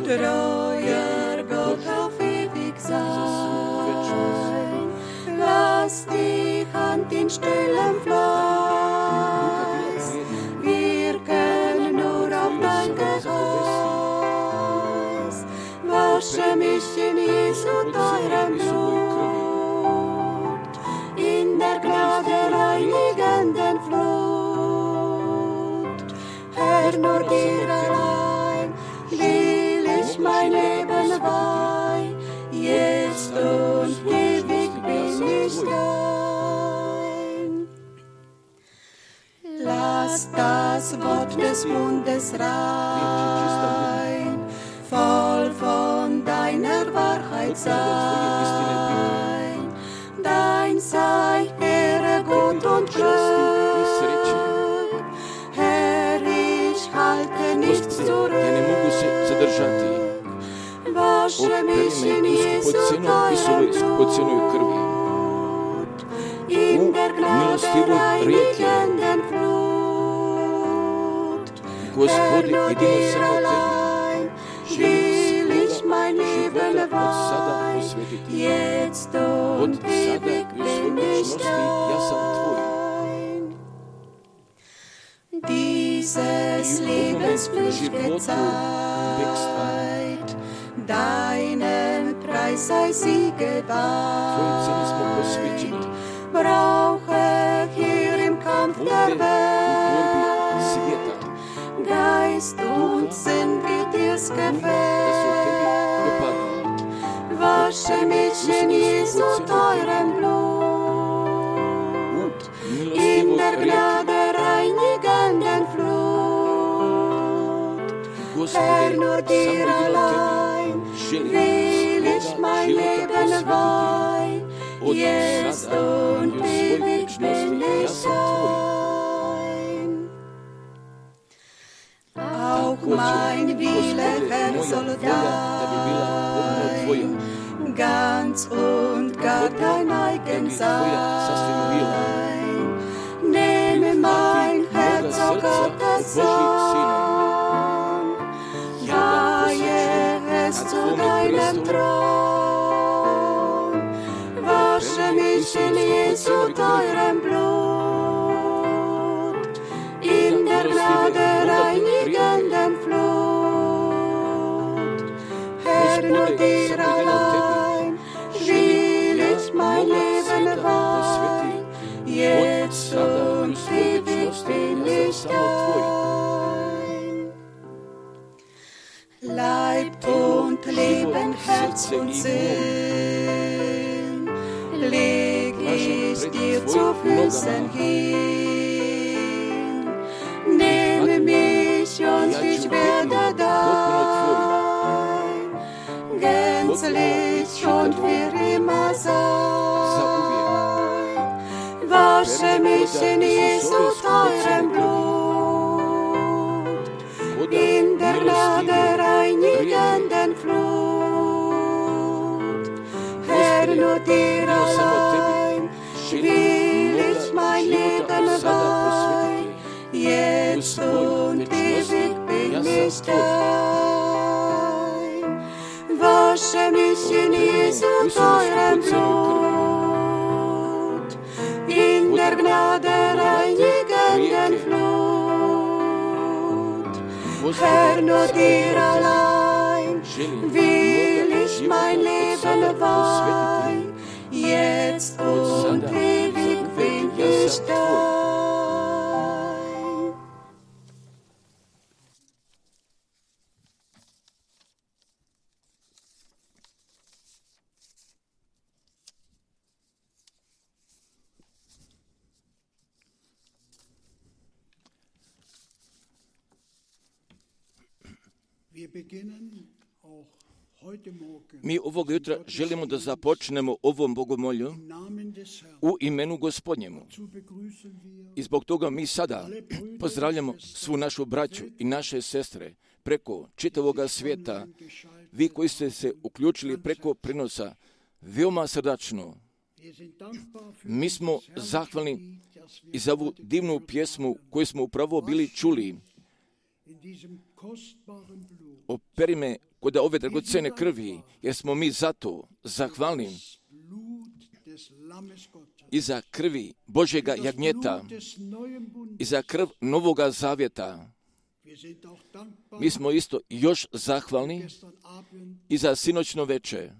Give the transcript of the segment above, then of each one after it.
treuer Gott auf ewig sein. Lass die Hand in stillem Fleiß wirken nur auf dein Geheiß. Wasche mich in Jesu teurem Blut, in der Gnade reinigenden Flut. Herr, nur dir allein will ich mein Leben weihen, jetzt und ewig bin ich dein. Lass das Wort des Mundes rein, voll von deiner Wahrheit sein. Dein sei Ehre, Gut und Glück. Herr, ich halte nichts zurück. Wasche mich in Jesu teurem Blut, in der Gnade reinigenden Flut. Herr, nur dir allein will ich mein Leben weihen, jetzt und ewig bin ich dein. Dieses Lebens flüchtige Zeit, deinen Preis sei sie geweiht. Brauche hier im Kampf der Welt Geist und Sinn, wie dir's gefällt. Wasche mich in Jesu teurem Blut, in der Gnade reinigenden Flut. Herr, nur dir allein will ich mein Leben weihen, jetzt und ewig bin ich dein. Auch mein Wille, Herr, soll dein, ganz und gar dein eigen sein. Nehme mein Herz, o Gottes Sohn, weihe es zu deinem Thron. Wasche mich in Jesu teurem Blut, in der Gnade reinigenden Flut. Herr, nur dir allein will ich mein Leben weihen, jetzt und ewig bin ich dein. Leib und Leben, Herz und Sinn leg ich dir zu Füßen hin. Nehme mich und ich werde dein, gänzlich und für immer sein. Wasche mich in Jesu teurem Blut, in der Gnade reinigenden Flut. Herr, nur dir allein will ich mein Leben weihen, jetzt und ewig bin ich dein. Wasche mich in Jesu teurem Blut, in der Gnade reinigenden Flut. Herr, nur dir allein will ich mein Leben weihen, jetzt und ewig bin ich dein. Mi ovog jutra želimo da započnemo ovom bogomolju u imenu Gospodnjemu. I zbog toga mi sada pozdravljamo svu našu braću i naše sestre preko čitavoga svijeta. Vi koji ste se uključili preko prenosa, veoma srdačno. Mi smo zahvalni i za ovu divnu pjesmu koju smo upravo bili čuli. Operi me kod ove dragocene krvi, jer smo mi zato zahvalni i za krvi Božjega jagnjeta i za krv Novoga Zavjeta. Mi smo isto još zahvalni i za sinoćno veče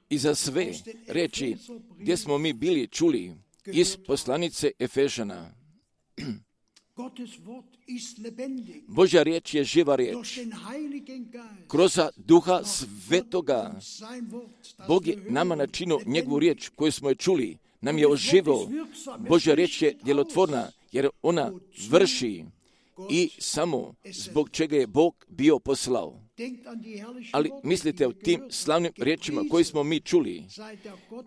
i za sve reči gdje smo mi bili čuli iz poslanice Efežana. Božja riječ je živa riječ. Kroz Duha Svetoga Bog je nama načinio njegovu riječ koju smo je čuli. Nam je oživio. Božja riječ je djelotvorna jer ona vrši i samo zbog čega je Bog bio poslao. Ali mislite o tim slavnim riječima koje smo mi čuli,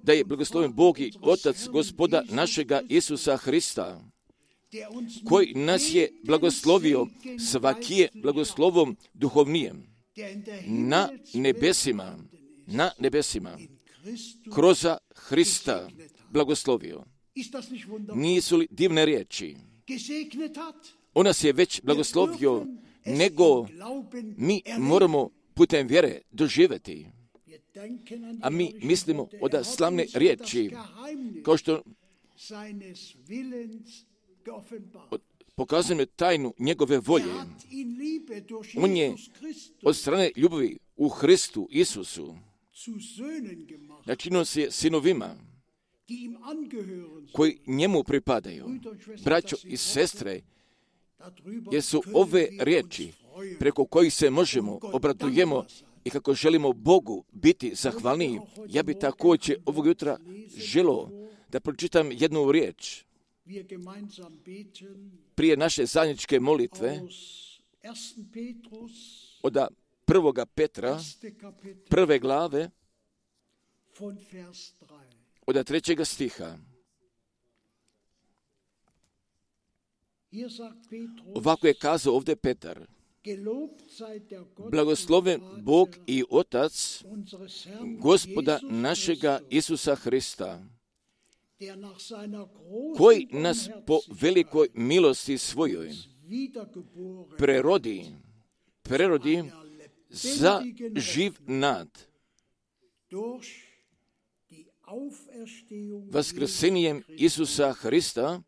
da je blagosloven Bog i Otac Gospoda našega Isusa Hrista, koji nas je blagoslovio svakije blagoslovom duhovnijem na nebesima, kroz Hrista blagoslovio. Nisu li divne riječi? On nas je već blagoslovio, nego mi moramo putem vjere doživjeti. A mi mislimo od slavne riječi, kao što pokazujemo tajnu njegove volje. On je od strane ljubavi u Hristu Isusu načinio se sinovima koji njemu pripadaju. Braćo i sestre, jer su ove riječi preko kojih se možemo, obradujemo i kako želimo Bogu biti zahvalniji. Ja bi također ovog jutra želio da pročitam jednu riječ prije naše zajedničke molitve od 1. Petra, 1. glave, od 3. stiha. Ovako je kazao ovdje Petar: blagosloven Bog i Otac Gospoda našega Isusa Hrista, koji nas po velikoj milosti svojoj prerodi za živ nad vaskrsenjem Isusa Hrista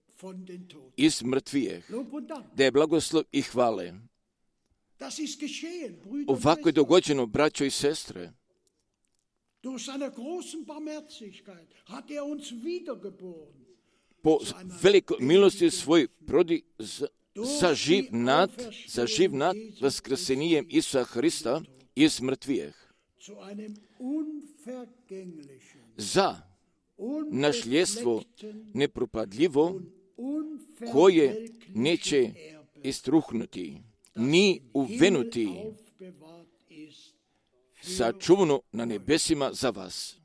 iz mrtvijeh, da je blagoslov i hvale. Ovako je dogođeno, braćo i sestre. Po velikoj milosti svoj prodi za živ nad vaskrsenjem Isusa Hrista iz mrtvijeh, za našljedstvo nepropadljivo, koje neće istruhnuti, ni uvenuti, sačuvano na nebesima za vas,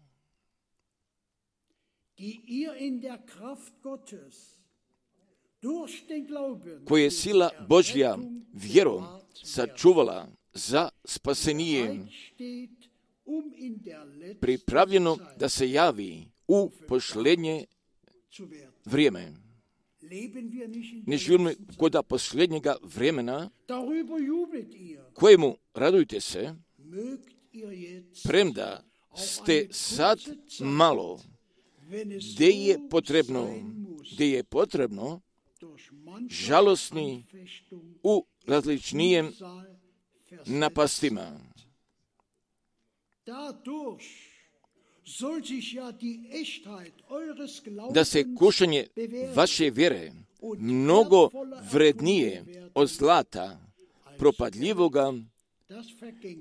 koje je sila Božja vjerom sačuvala za spasenije, pripravljeno da se javi u posljednje vrijeme. Ne živimo kod posljednjega vremena, kojemu radujte se, premda ste sad malo, gdje je potrebno, žalosni u različnijem napastima. Da se kušanje vaše vjere mnogo vrednije od zlata propadljivoga,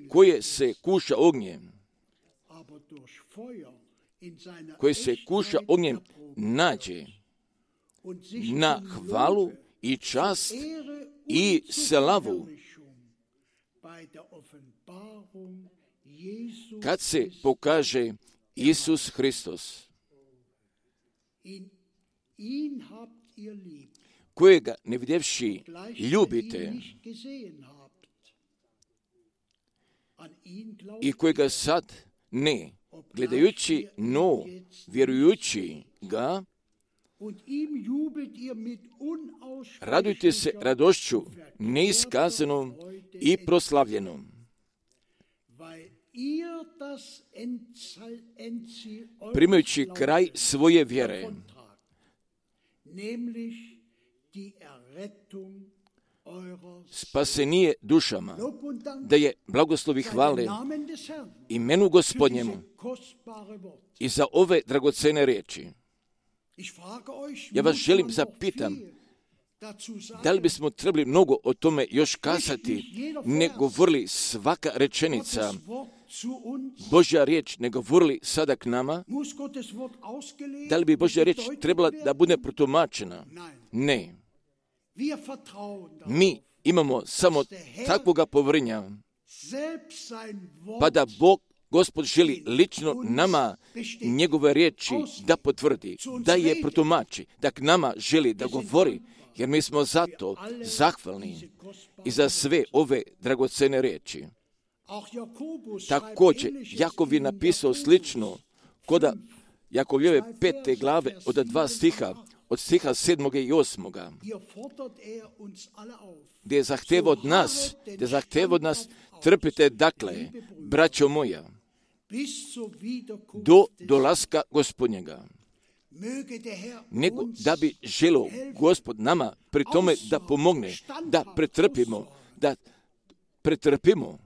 koje se kuša ognjem, nađe na hvalu i čast i slavu kad se pokaže Isus Hristos, kojega ne vidjevši ljubite i kojega sad ne gledajući, no vjerujući ga, Radujte se radošću neiskazanom i proslavljenom, primajući kraj svoje vjere, spasenije dušama, da je blagoslovi hvale imenu Gospodnjemu i za ove dragocene riječi. Ja vas želim zapitam, da li bismo trebali mnogo o tome još kazati, ne govorili svaka rečenica, Božja riječ ne govorili sada k nama? Da li bi Božja riječ trebala da bude protumačena? Ne. Mi imamo samo takvoga povjerenja, pa da Gospod želi lično nama njegove riječi da potvrdi, da je protumači, da k nama želi da govori, jer mi smo zato zahvalni i za sve ove dragocene riječi. Također, Jakov je napisao slično, koda Jakovljeve 5. glave od 2 stiha, od stiha 7. i 8. Gdje je zahteva od nas, trpite dakle, braćo moja, do dolaska Gospodnjega, nego da bi želio Gospod nama pri tome da pomogne, da pretrpimo.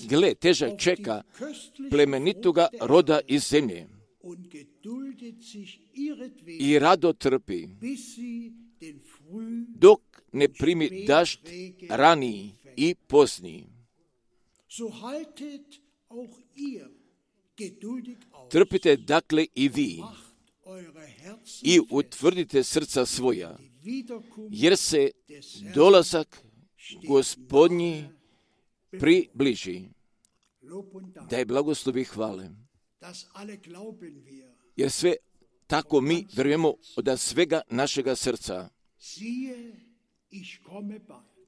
Gle, težak čeka plemenitoga roda iz zemlje i rado trpi, dok ne primi dašt raniji i pozniji. Trpite dakle i vi i utvrdite srca svoja, jer se dolazak Gospodnji približi. Da je blagoslovi hvale. Jer sve tako mi vjerujemo od svega našega srca.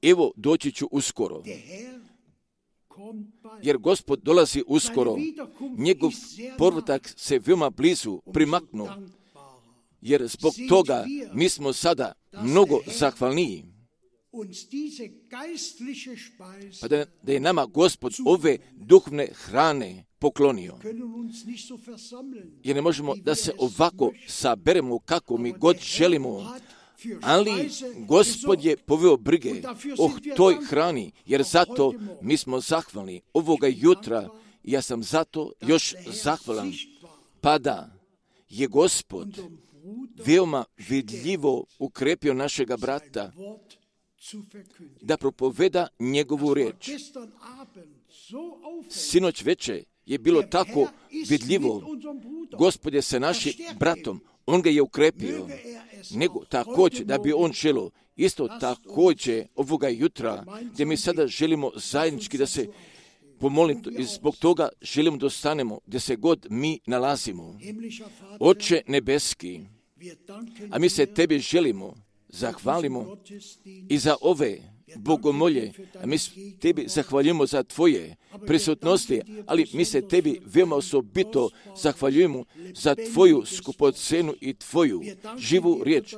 Evo, doći ću uskoro. Jer Gospod dolazi uskoro. Njegov povratak se veoma blizu primaknuo. Jer zbog toga mi smo sada mnogo zahvalniji. Pa da je nama Gospod ove duhovne hrane poklonio. Jer ne možemo da se ovako saberemo kako mi god želimo, ali Gospod je poveo brige o toj hrani, jer zato mi smo zahvalni ovoga jutra. Ja sam zato još zahvalan, pa da je Gospod veoma vidljivo ukrepio našega brata da propoveda njegovu riječ. Sinoć veče je bilo tako vidljivo. Gospod je sa našim bratom, on ga je ukrepio, nego također da bi on želio isto također ovoga jutra, gdje mi sada želimo zajednički da se pomolimo i zbog toga želimo da ostanemo gdje se god mi nalazimo. Oče nebeski, a mi se tebi želimo, zahvalimo i za ove bogomolje, a mi tebi zahvaljujemo za tvoje prisutnosti, ali mi se tebi veoma osobito zahvaljujemo za tvoju skupocenu i tvoju živu riječ.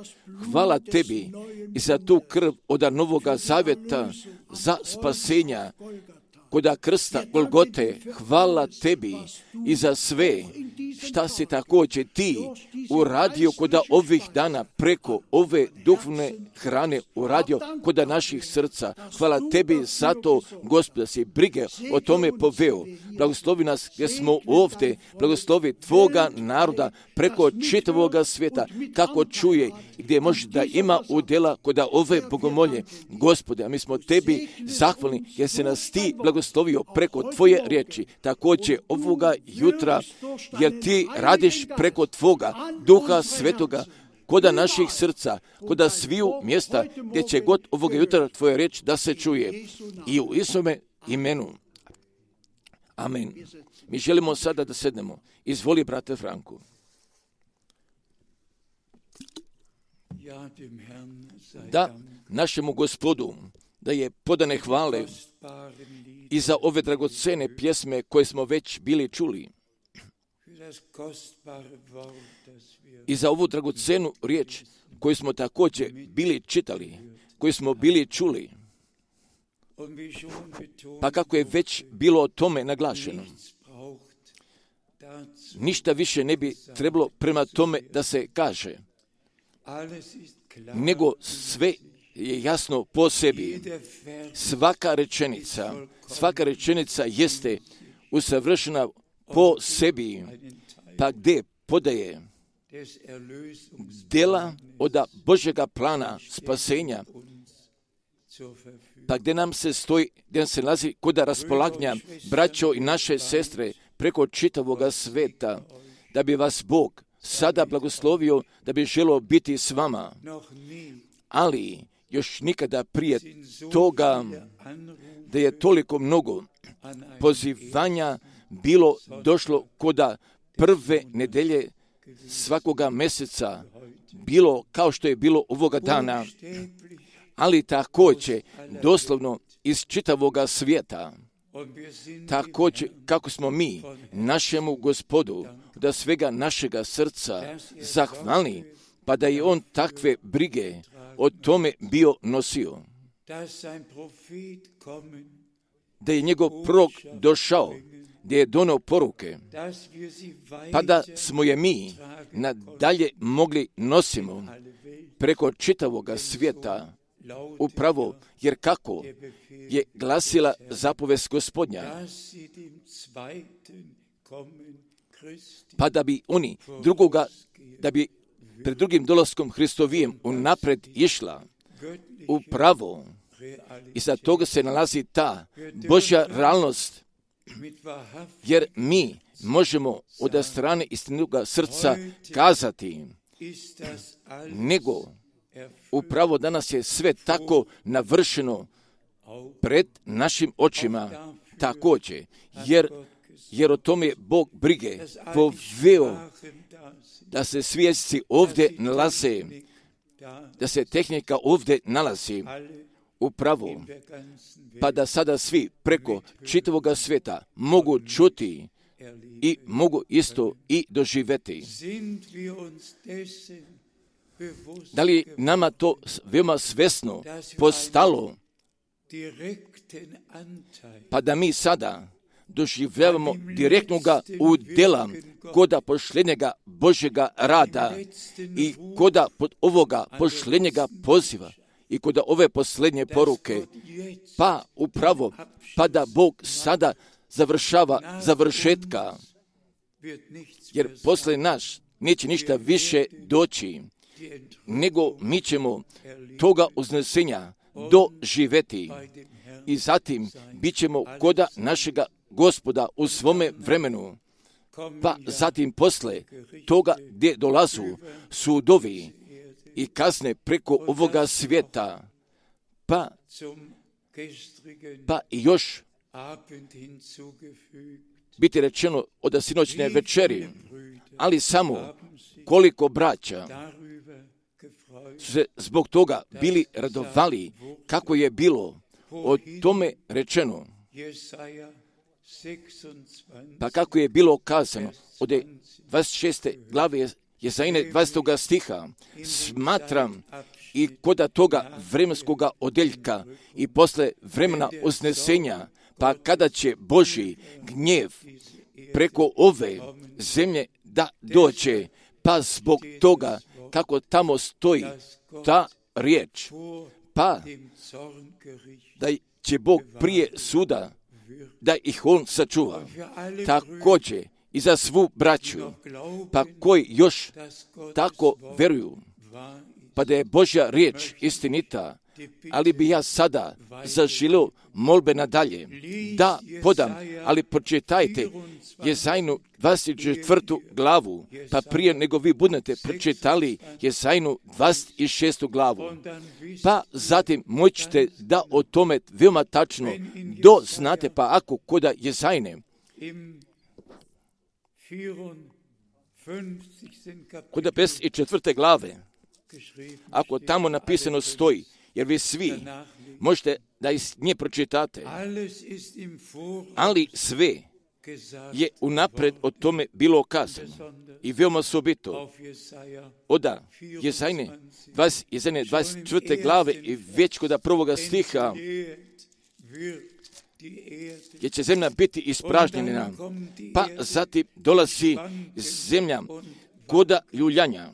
Hvala tebi i za tu krv od Novoga Zavjeta za spasenja koda krsta Golgote. Hvala tebi i za sve šta si također ti uradio koda ovih dana preko ove duhovne hrane uradio koda naših srca. Hvala tebi za to, Gospod, da si brige o tome poveo. Blagoslovi nas gdje smo ovdje, blagoslovi tvoga naroda preko čitavoga svijeta, kako čuje i gdje može da ima udjela koda ove bogomolje. Gospode, a mi smo tebi zahvalni jer se nas ti blagoslovio preko tvoje riječi, također ovoga jutra, jer ti radiš preko tvoga Duha Svetoga koda naših srca, koda sviju mjesta gdje će god ovoga jutra tvoja riječ da se čuje. I u Isuse imenu. Amen. Mi želimo sada da sednemo. Izvoli, brate Franku. Da našemu Gospodu, da je podane hvale i za ove dragocene pjesme koje smo već bili čuli. i za ovu dragocenu riječ koju smo također bili čitali, koju smo bili čuli. Pa kako je već bilo o tome naglašeno, ništa više ne bi trebalo prema tome da se kaže, nego sve je jasno po sebi. Svaka rečenica jeste usavršena po sebi, pa gdje podaje djela od Božjega plana spasenja, pa gdje nam se nalazi kod raspolaganja braćo i naše sestre preko čitavoga sveta, da bi vas Bog sada blagoslovio, da bi želio biti s vama. Ali još nikada prije toga da je toliko mnogo pozivanja bilo došlo koda prve nedelje svakoga mjeseca, bilo kao što je bilo ovoga dana, ali također doslovno iz čitavoga svijeta. Također kako smo mi našemu Gospodu da svega našega srca zahvalni, pa da je on takve brige o tome bio nosio. Da je njegov prorok došao, gdje je donio poruke, pa da smo je mi nadalje mogli nosimo preko čitavoga svijeta, upravo jer kako je glasila zapovest Gospodnja, pa da bi oni da bi pred drugim dolaskom Hristovijem unapred išla upravo. I za toga se nalazi ta Božja realnost, jer mi možemo od strane istinoga srca kazati, nego upravo danas je sve tako navršeno pred našim očima također, jer o tome Bog brige poveo da se svi jezici ovdje nalaze, da se tehnika ovdje nalazi upravo, pa da sada svi preko čitavoga sveta mogu čuti i mogu isto i doživjeti. Da li nama to veoma svesno postalo, pa da mi sada doživljavamo direktnoga udjela koda pošljenjega Božjega rada i koda pod ovoga pošljenjega poziva i koda ove posljednje poruke, pa upravo, pa da Bog sada završava završetka, jer posle naš neće ništa više doći, nego mi ćemo toga uznesenja doživjeti i zatim bit ćemo koda našega Gospoda u svome vremenu, pa zatim posle toga gdje dolazu sudovi i kazne preko ovoga svijeta, pa i još biti rečeno od sinoćne večeri, ali samo koliko braća su se zbog toga bili radovali, kako je bilo o tome rečeno, pa kako je bilo kazano od 26. glave Jesaine 20. stiha, smatram i koda toga vremenskoga odeljka i posle vremena uznesenja, pa kada će Božji gnjev preko ove zemlje da dođe, pa zbog toga kako tamo stoji ta riječ, pa da će Bog prije suda da ih on sačuva. Također i za svu braću, pa koji još tako veruju, pa da je Božja riječ istinita, ali bi ja sada zaželio molbe nadalje da podam, ali pročitajte Jesainu 24. glavu, pa prije nego vi budete pročitali Jesainu 26. glavu, pa zatim moćete da o tome veoma tačno doznate, pa ako koda Jesaine, koda 54. glave, ako tamo napisano stoji, jer vi svi možete da iz nje pročitate, ali sve je unapred o tome bilo kazano. I veoma osobito od Jezajne 24. glave i već kod prvoga stiha, gdje će zemlja biti ispražnjena, pa zatim dolazi zemlja koda ljuljanja.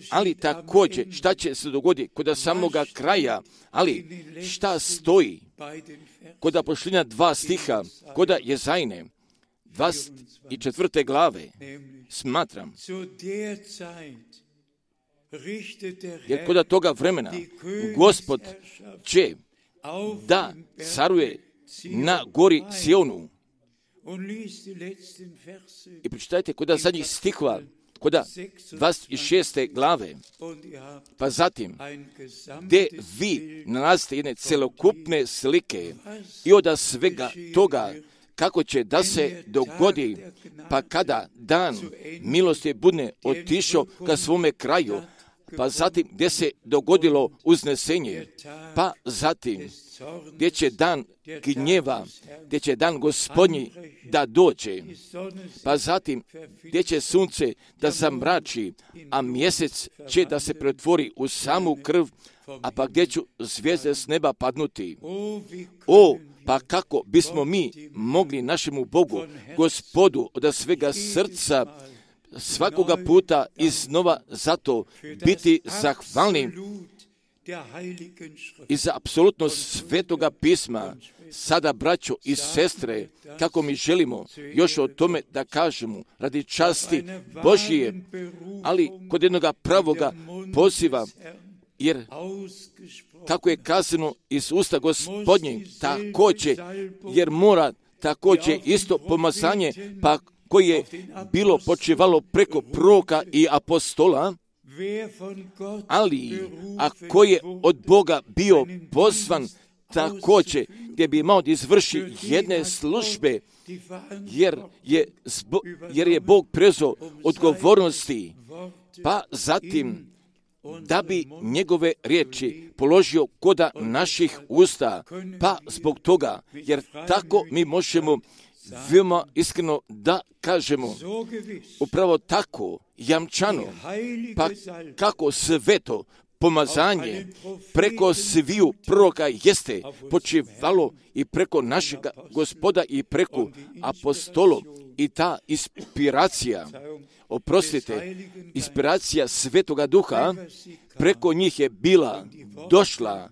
Ali također, šta će se dogoditi kod samoga kraja, ali šta stoji kod pošljenja 2 stiha, kod Jezajne 24. glave, smatram, jer kod toga vremena Gospod će da caruje na gori Sionu. I pročitajte kod zadnjih stihova, kod 26. glave, pa zatim, gdje vi nalazite jedne celokupne slike i od svega toga kako će da se dogodi, pa kada dan milosti bude otišao ka svome kraju, pa zatim gdje se dogodilo uznesenje, pa zatim gdje će dan gnjeva, gdje će dan Gospodnji da dođe, pa zatim gdje će sunce da zamrači, a mjesec će da se pretvori u samu krv, a pa gdje će zvijezde s neba padnuti. Pa kako bismo mi mogli našemu Bogu, Gospodu, od svega srca, svakoga puta iznova zato biti zahvalni i za apsolutno svetoga pisma. Sada, braćo i sestre, kako mi želimo još o tome da kažemo radi časti Božije, ali kod jednoga pravoga poziva, jer kako je kazano iz usta Gospodnjeg, također, jer mora također isto pomazanje, pa koje je bilo počivalo preko proroka i apostola, ali ako je od Boga bio pozvan također gdje bi imao da izvrši jedne službe, jer je Bog preuzeo odgovornosti, pa zatim da bi njegove riječi položio koda naših usta, pa zbog toga, jer tako mi možemo veoma iskreno da kažemo, upravo tako jamčano, pa kako sveto pomazanje preko sviju proroka jeste počivalo i preko našega Gospoda i preko apostolov, i ta inspiracija, inspiracija Svetoga Duha preko njih je bila došla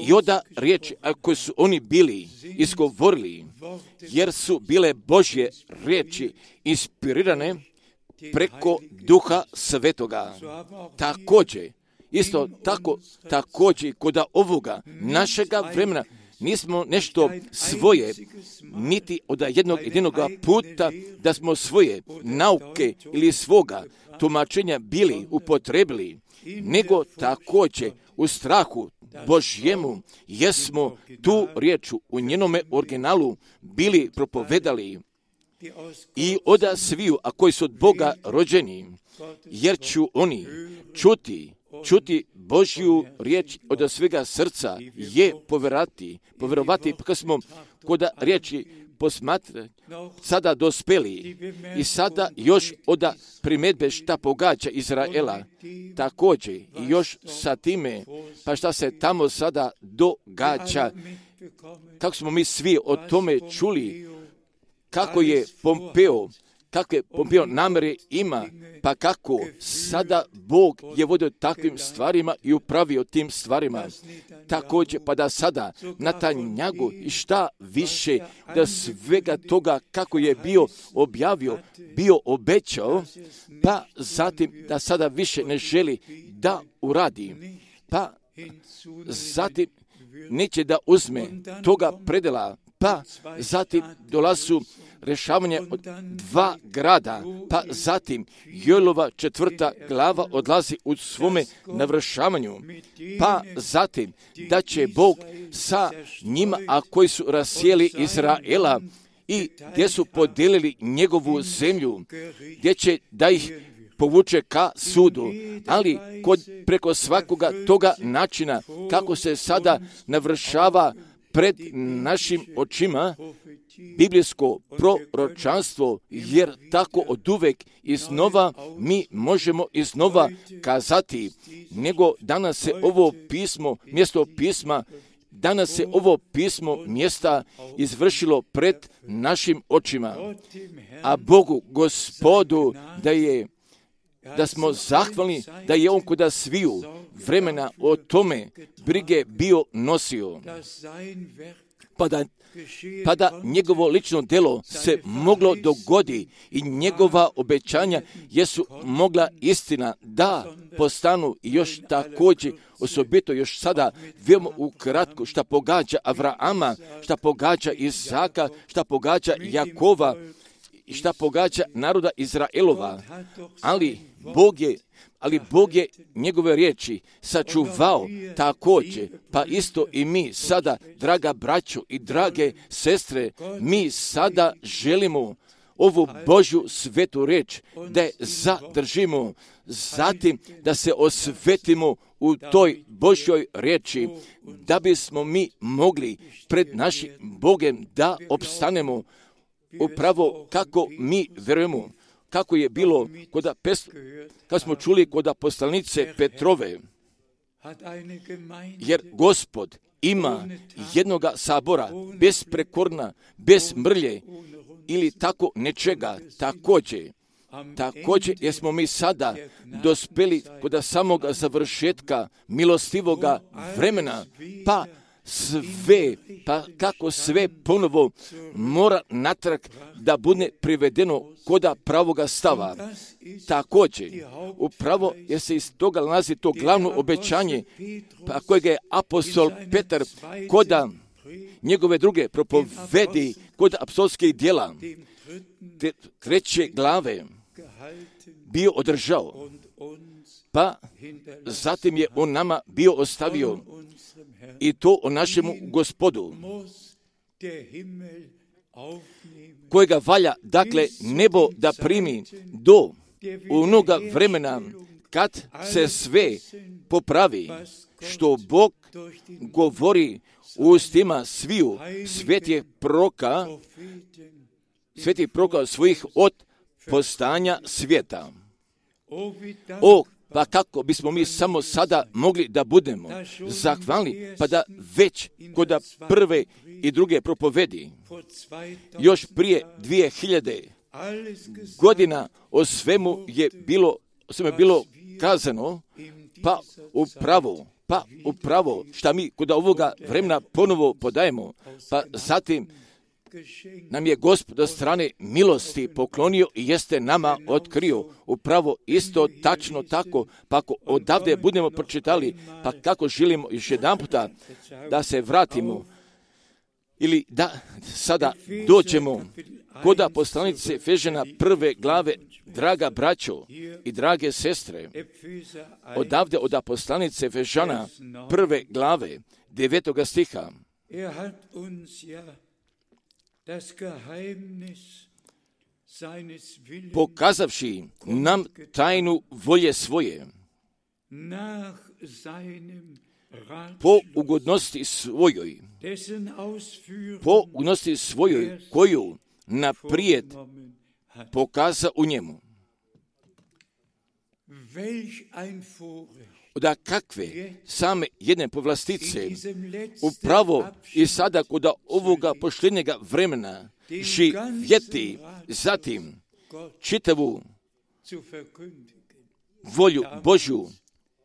i oda riječi koje su oni bili izgovorili, jer su bile Božje riječi inspirirane preko Duha Svetoga. Također, isto tako, također kod ovoga našega vremena nismo nešto svoje, niti od jednog puta da smo svoje nauke ili svoga tumačenja bili upotrebili, nego također u strahu Božjemu jesmo tu riječ u njenome originalu bili propovedali i od sviju, a koji su od Boga rođeni, jer ću oni čuti Božju riječ od svega srca je povjerovati, kad smo kod riječi posmatrati, sada dospeli i sada još od primjedbe šta pogađa Izraela, također i još sa time, pa šta se tamo sada događa, kako smo mi svi o tome čuli, kako je Pompeo namere ima, pa kako sada Bog je vodio takvim stvarima i upravio tim stvarima. Također, pa da sada Netanjahu i šta više da svega toga kako je bio objavio, bio obećao, pa zatim da sada više ne želi da uradi, pa zatim neće da uzme toga predela, pa zatim dolazu rješavanje od 2 grada, pa zatim Joelova 4. glava odlazi u svome navršavanju, pa zatim da će Bog sa njima, a koji su rasijeli Izraela i gdje su podijelili njegovu zemlju, gdje će da ih povuče ka sudu, ali preko svakoga toga načina kako se sada navršava pred našim očima, biblijsko proročanstvo, jer tako oduvek iznova mi možemo iznova kazati, nego danas se ovo pismo, mjesto pisma, danas se ovo pismo mjesta izvršilo pred našim očima, a Bogu, Gospodu, da smo zahvalni da je On kuda sviju vremena o tome brige bio nosio, pa da njegovo lično djelo se moglo dogodi i njegova obećanja jesu mogla istina da postanu još također, osobito još sada, veoma ukratko šta pogađa Avrama, šta pogađa Izaka, šta pogađa Jakova, šta pogađa naroda Izraelova, ali Bog je njegove riječi sačuvao također, pa isto i mi sada, draga braćo i drage sestre, mi sada želimo ovu Božju svetu riječ da je zadržimo, zatim da se osvetimo u toj Božjoj riječi, da bismo mi mogli pred našim Bogem da opstanemo upravo kako mi vjerujemo, kako je bilo kad smo čuli kod poslanice Petrove, jer Gospod ima jednoga sabora, bez prekorna, bez mrlje ili tako nečega, također jer smo mi sada dospeli kod samoga završetka milostivoga vremena, pa kako sve ponovo mora natrag da bude privedeno koda pravoga stava. Također, upravo jer se iz toga nalazi to glavno obećanje, pa kojega je apostol Petar koda njegove druge propovedi kod apostolskih djela, 3. glave, bio održao, pa zatim je on nama bio ostavio i to o našemu Gospodu, kojega valja, dakle, nebo da primi do onoga vremena kad se sve popravi, što Bog govori u ustima sviju svetih proroka svojih od postanja svijeta. Pa kako bismo mi samo sada mogli da budemo zahvalni, pa da već kod prve i druge propovedi, još prije 2000 godina o svemu je bilo kazano, pa upravo šta mi kod ovoga vremena ponovo podajemo, pa zatim nam je Gospod od strane milosti poklonio i jeste nama otkrio upravo isto tačno tako, pa ako odavde budemo pročitali, pa kako želimo još jedan puta da se vratimo ili da sada dođemo kod poslanice Efežana 1. glave, draga braćo i drage sestre, odavde od poslanice Efežana 1. glave 9. stiha. Pokazavši nam tajnu volje svoje, po ugodnosti svojoj, koju naprijed pokaza u njemu. Da kakve same jedne povlastice upravo i sada kod ovoga poštenjega vremena živjeti, zatim čitavu volju Božju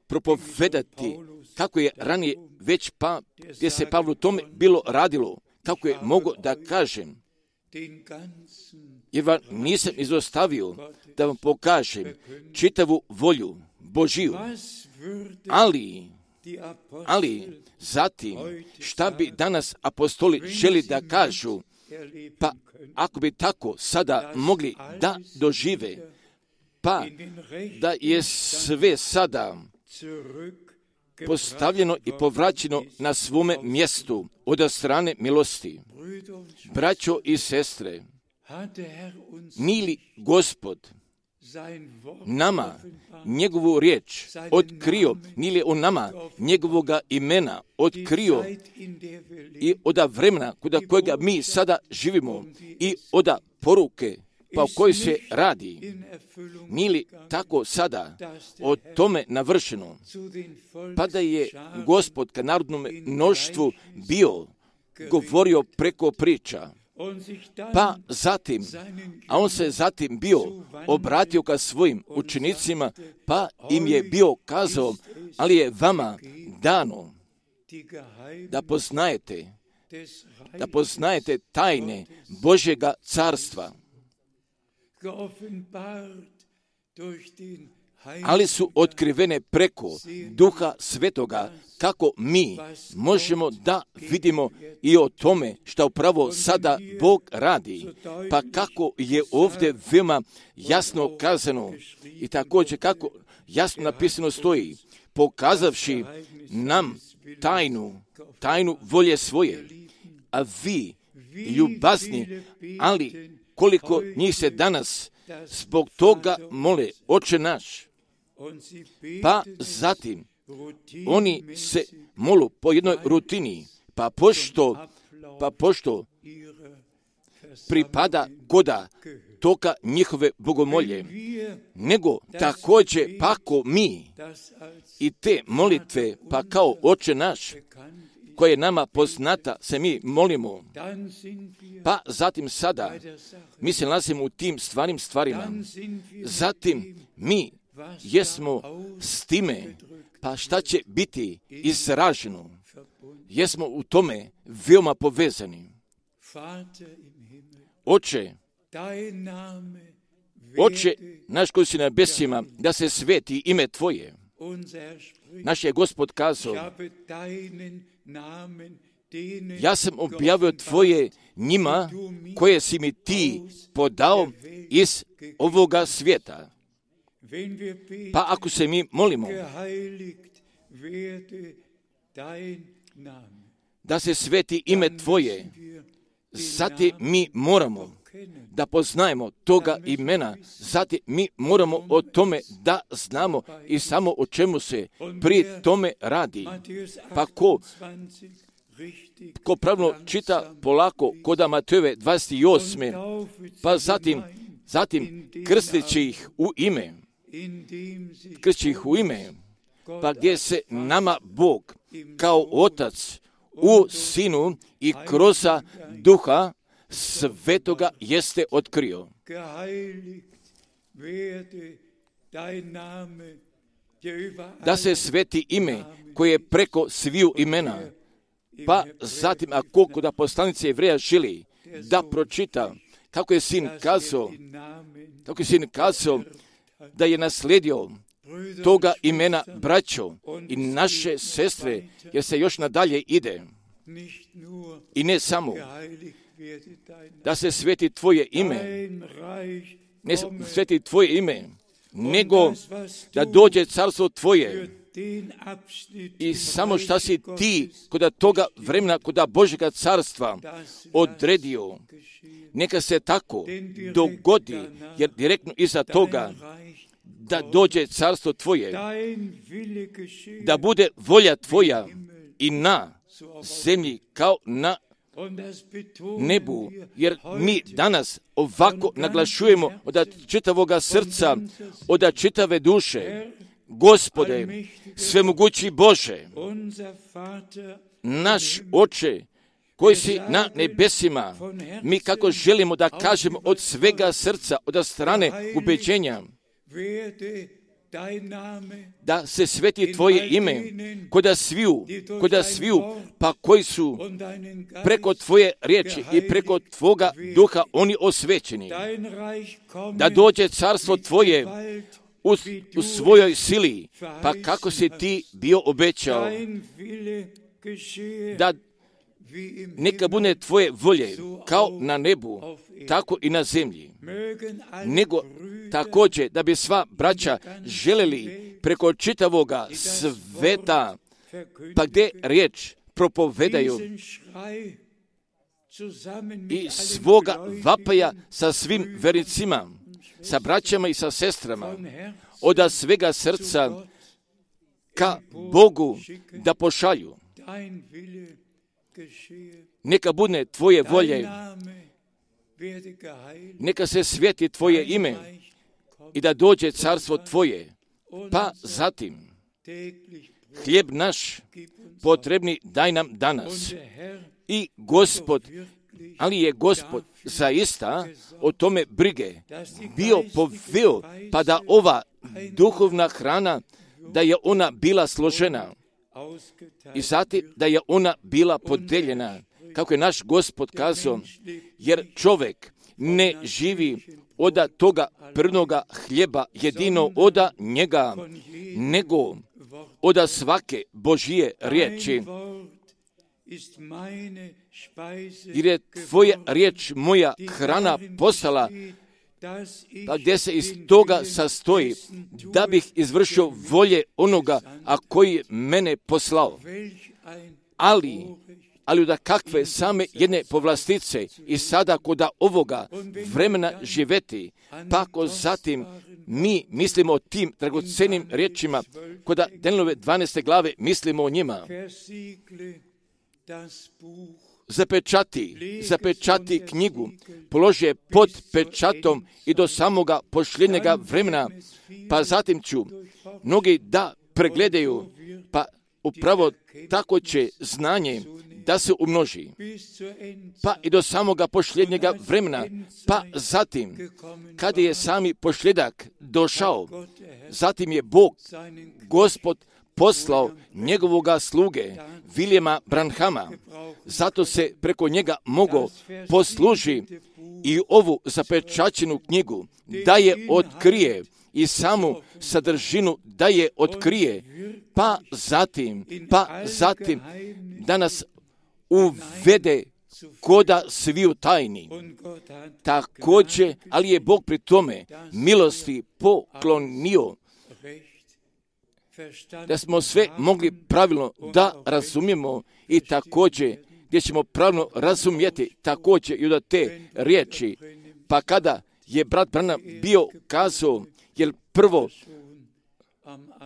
propovedati, kako je ranije već gdje se Pavlu tome bilo radilo, kako je mogo da kažem, jer vam nisam izostavio da vam pokažem čitavu volju Božiju, ali zatim šta bi danas apostoli želi da kažu, pa ako bi tako sada mogli da dožive, pa da je sve sada postavljeno i povraćeno na svome mjestu od strane milosti. Braćo i sestre, nije li Gospod nama njegovu riječ otkrio, nije li on nama njegovoga imena otkrio i oda vremena kod kojega mi sada živimo i oda poruke pa o kojoj se radi, nije li tako sada o tome navršeno, pa da je Gospod ka narodnom mnoštvu bio govorio preko priča, pa zatim, a on se zatim bio obratio ka svojim učenicima, pa im je bio kazao, ali je vama dano da poznajete tajne Božjega carstva, ali su otkrivene preko Duha Svetoga, kako mi možemo da vidimo i o tome što upravo sada Bog radi, pa kako je ovdje veoma jasno kazano i također kako jasno napisano stoji, pokazavši nam tajnu volje svoje, a vi ljubazni, ali koliko njih se danas zbog toga mole, Oče naš, pa zatim oni se molu po jednoj rutini, pa pošto pripada goda toka njihove bogomolje, nego također pako mi i te molitve, pa kao Oče naš, koje je nama poznata, se mi molimo, pa zatim sada mi se nalazimo u tim stvarima, zatim mi jesmo s time, pa šta će biti izraženo, jesmo u tome veoma povezani. Oče naš koji si na nebesima, da se sveti ime Tvoje. Naš je Gospod kazao, ja sam objavio Tvoje njima koje si mi Ti podao iz ovoga svijeta. Pa ako se mi molimo da se sveti ime Tvoje, zatim mi moramo da poznajemo toga imena, zatim mi moramo o tome da znamo i samo o čemu se pri tome radi. Pa ko pravilno čita polako koda Matejove 28. pa zatim krsteći ih u ime, pa gdje se nama Bog kao Otac u Sinu i kroz Duha Svetoga jeste otkrio. Da se sveti ime koje je preko sviju imena, pa zatim ako kod poslanice Jevreja želi da pročita kako je sin kazao da je naslijedio toga imena braćo i naše sestre, jer se još nadalje ide. I ne samo da se sveti Tvoje ime, ne sveti Tvoje ime, nego da dođe carstvo Tvoje. I samo šta si Ti kod toga vremena, kod Božjega carstva odredio, neka se tako dogodi, jer direktno iza toga da dođe carstvo Tvoje, da bude volja Tvoja i na zemlji kao na nebu, jer mi danas ovako naglašujemo od čitavoga srca, od čitave duše, Gospode, svemogući Bože, naš Oče, koji si na nebesima, mi kako želimo da kažemo od svega srca, od strane ubeđenja, da se sveti Tvoje ime koda sviju, pa koji su preko Tvoje riječi i preko Tvoga duha oni osvećeni, da dođe carstvo Tvoje u svojoj sili, pa kako si Ti bio obećao, da neka bude Tvoje volje kao na nebu, tako i na zemlji. Nego također da bi sva braća želeli preko čitavoga sveta, pa gdje riječ propovedaju i svoga vapaja sa svim vernicima, sa braćama i sa sestrama od svega srca ka Bogu da pošalju. Neka bude Tvoje volje, neka se sveti Tvoje ime i da dođe carstvo Tvoje. Pa zatim, hljeb naš potrebni daj nam danas. I Gospod, ali je Gospod zaista o tome brige bio poveo, pa da ova duhovna hrana, da je ona bila složena i zatim da je ona bila podeljena, kako je naš Gospod kazao, jer čovjek ne živi od toga prvnoga hljeba jedino od njega, nego od svake Božije riječi. Jer je Tvoja riječ moja hrana postala, pa gdje se iz toga sastoji, da bih izvršio volje onoga, a koji je mene poslao. Ali da kakve same jedne povlastice i sada koda ovoga vremena živeti, pa ako zatim mi mislimo o tim dragocenim riječima, koda Danielove 12. glave mislimo o njima. Zapečati knjigu, položi je pod pečatom i do samoga posljednjega vremena, pa zatim ću mnogi da pregledaju, pa upravo tako će znanje da se umnoži, pa i do samoga posljednjega vremena, pa zatim, kada je sami posljedak došao, zatim je Bog, Gospod, poslao njegovoga sluge, Viljema Branhama, zato se preko njega mogao posluži i ovu zapečaćenu knjigu, da je otkrije i samu sadržinu da je otkrije, pa zatim da nas uvede koda sviju tajni. Također, ali je Bog pri tome milosti poklonio da smo sve mogli pravilno da razumijemo i također gdje ćemo pravilno razumjeti također i od te riječi. Pa kada je brat Branham bio kazao, jer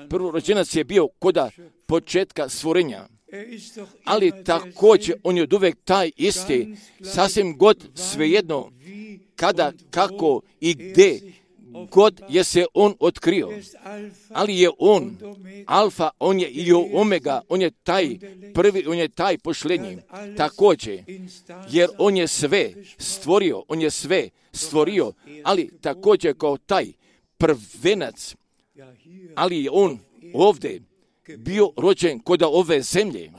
prvorođenac je bio koda početka stvorenja, ali također on je od uvijek taj isti, sasvim god svejedno kada, kako i gdje god je se on otkrio, ali je on alfa, on je i omega, on je taj prvi, on je taj posljednji, također, jer on je sve stvorio, ali također kao taj prvenac, ali je on ovdje bio rođen kod ove zemlje,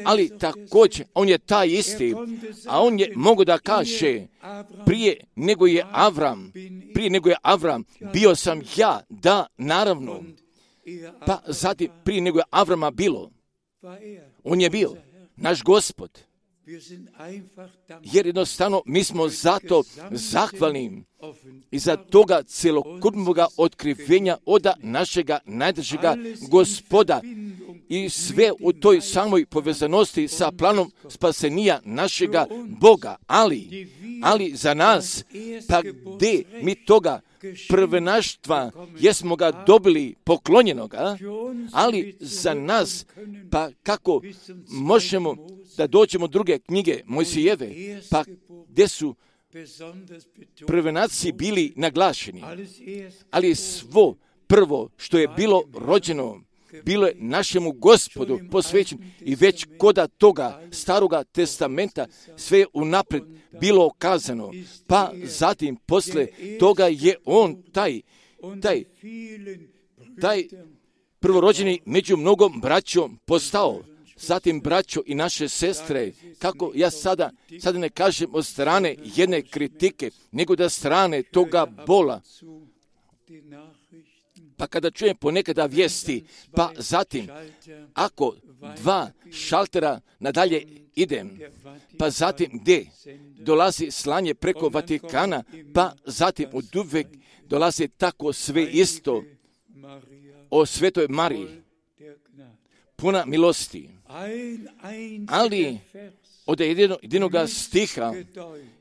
ali također on je taj isti, a on je mogo da kaže prije nego je Avram, bio sam ja, da, naravno, pa zatim prije nego je Avrama bilo, on je bio naš Gospod, jer jednostavno mi smo zato zahvalni i za toga celokupnoga otkrivenja od našega najdržega Gospoda i sve u toj samoj povezanosti sa planom spasenija našega Boga, ali za nas, pa gdje mi toga prvenaštva jesmo ga dobili poklonjenoga, ali za nas, pa kako možemo da dođemo druge knjige Mojsijeve, pa gdje su prvenaci bili naglašeni, ali svo prvo što je bilo rođeno, bilo je našemu Gospodu posvećeno i već koda toga staroga testamenta sve je unaprijed bilo okazano, pa zatim posle toga je on taj prvorođeni među mnogom braćom postao. Zatim braćo i naše sestre, kako ja sada ne kažem od strane jedne kritike, nego da strane toga bola. Pa kada čujem ponekada vijesti, pa zatim, ako 2 šaltera nadalje idem, pa zatim gdje dolazi slanje preko Vatikana, pa zatim od uvek dolazi tako sve isto o Svetoj Mariji, puna milosti. ali od jedinoga stiha,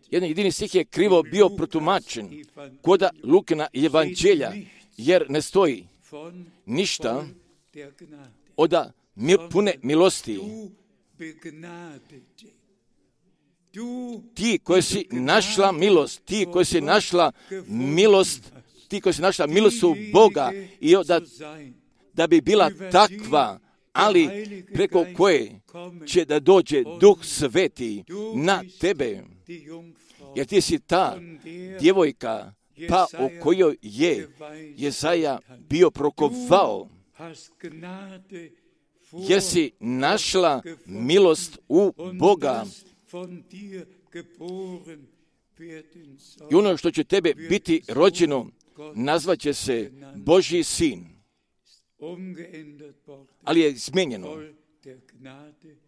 jedan jedini stih je krivo bio protumačen kod Lukina evanđelja, jer ne stoji ništa od pune milosti. Ti koji si našla milost, ti koji si našla milost u Boga i da bi bila takva, ali preko koje će da dođe Duh Sveti na tebe, jer ti si ta djevojka pa o kojoj je Jesaja bio prokovao, jer si našla milost u Boga i ono što će tebe biti rođeno nazvaće se Božji sin, ali je izmijenjeno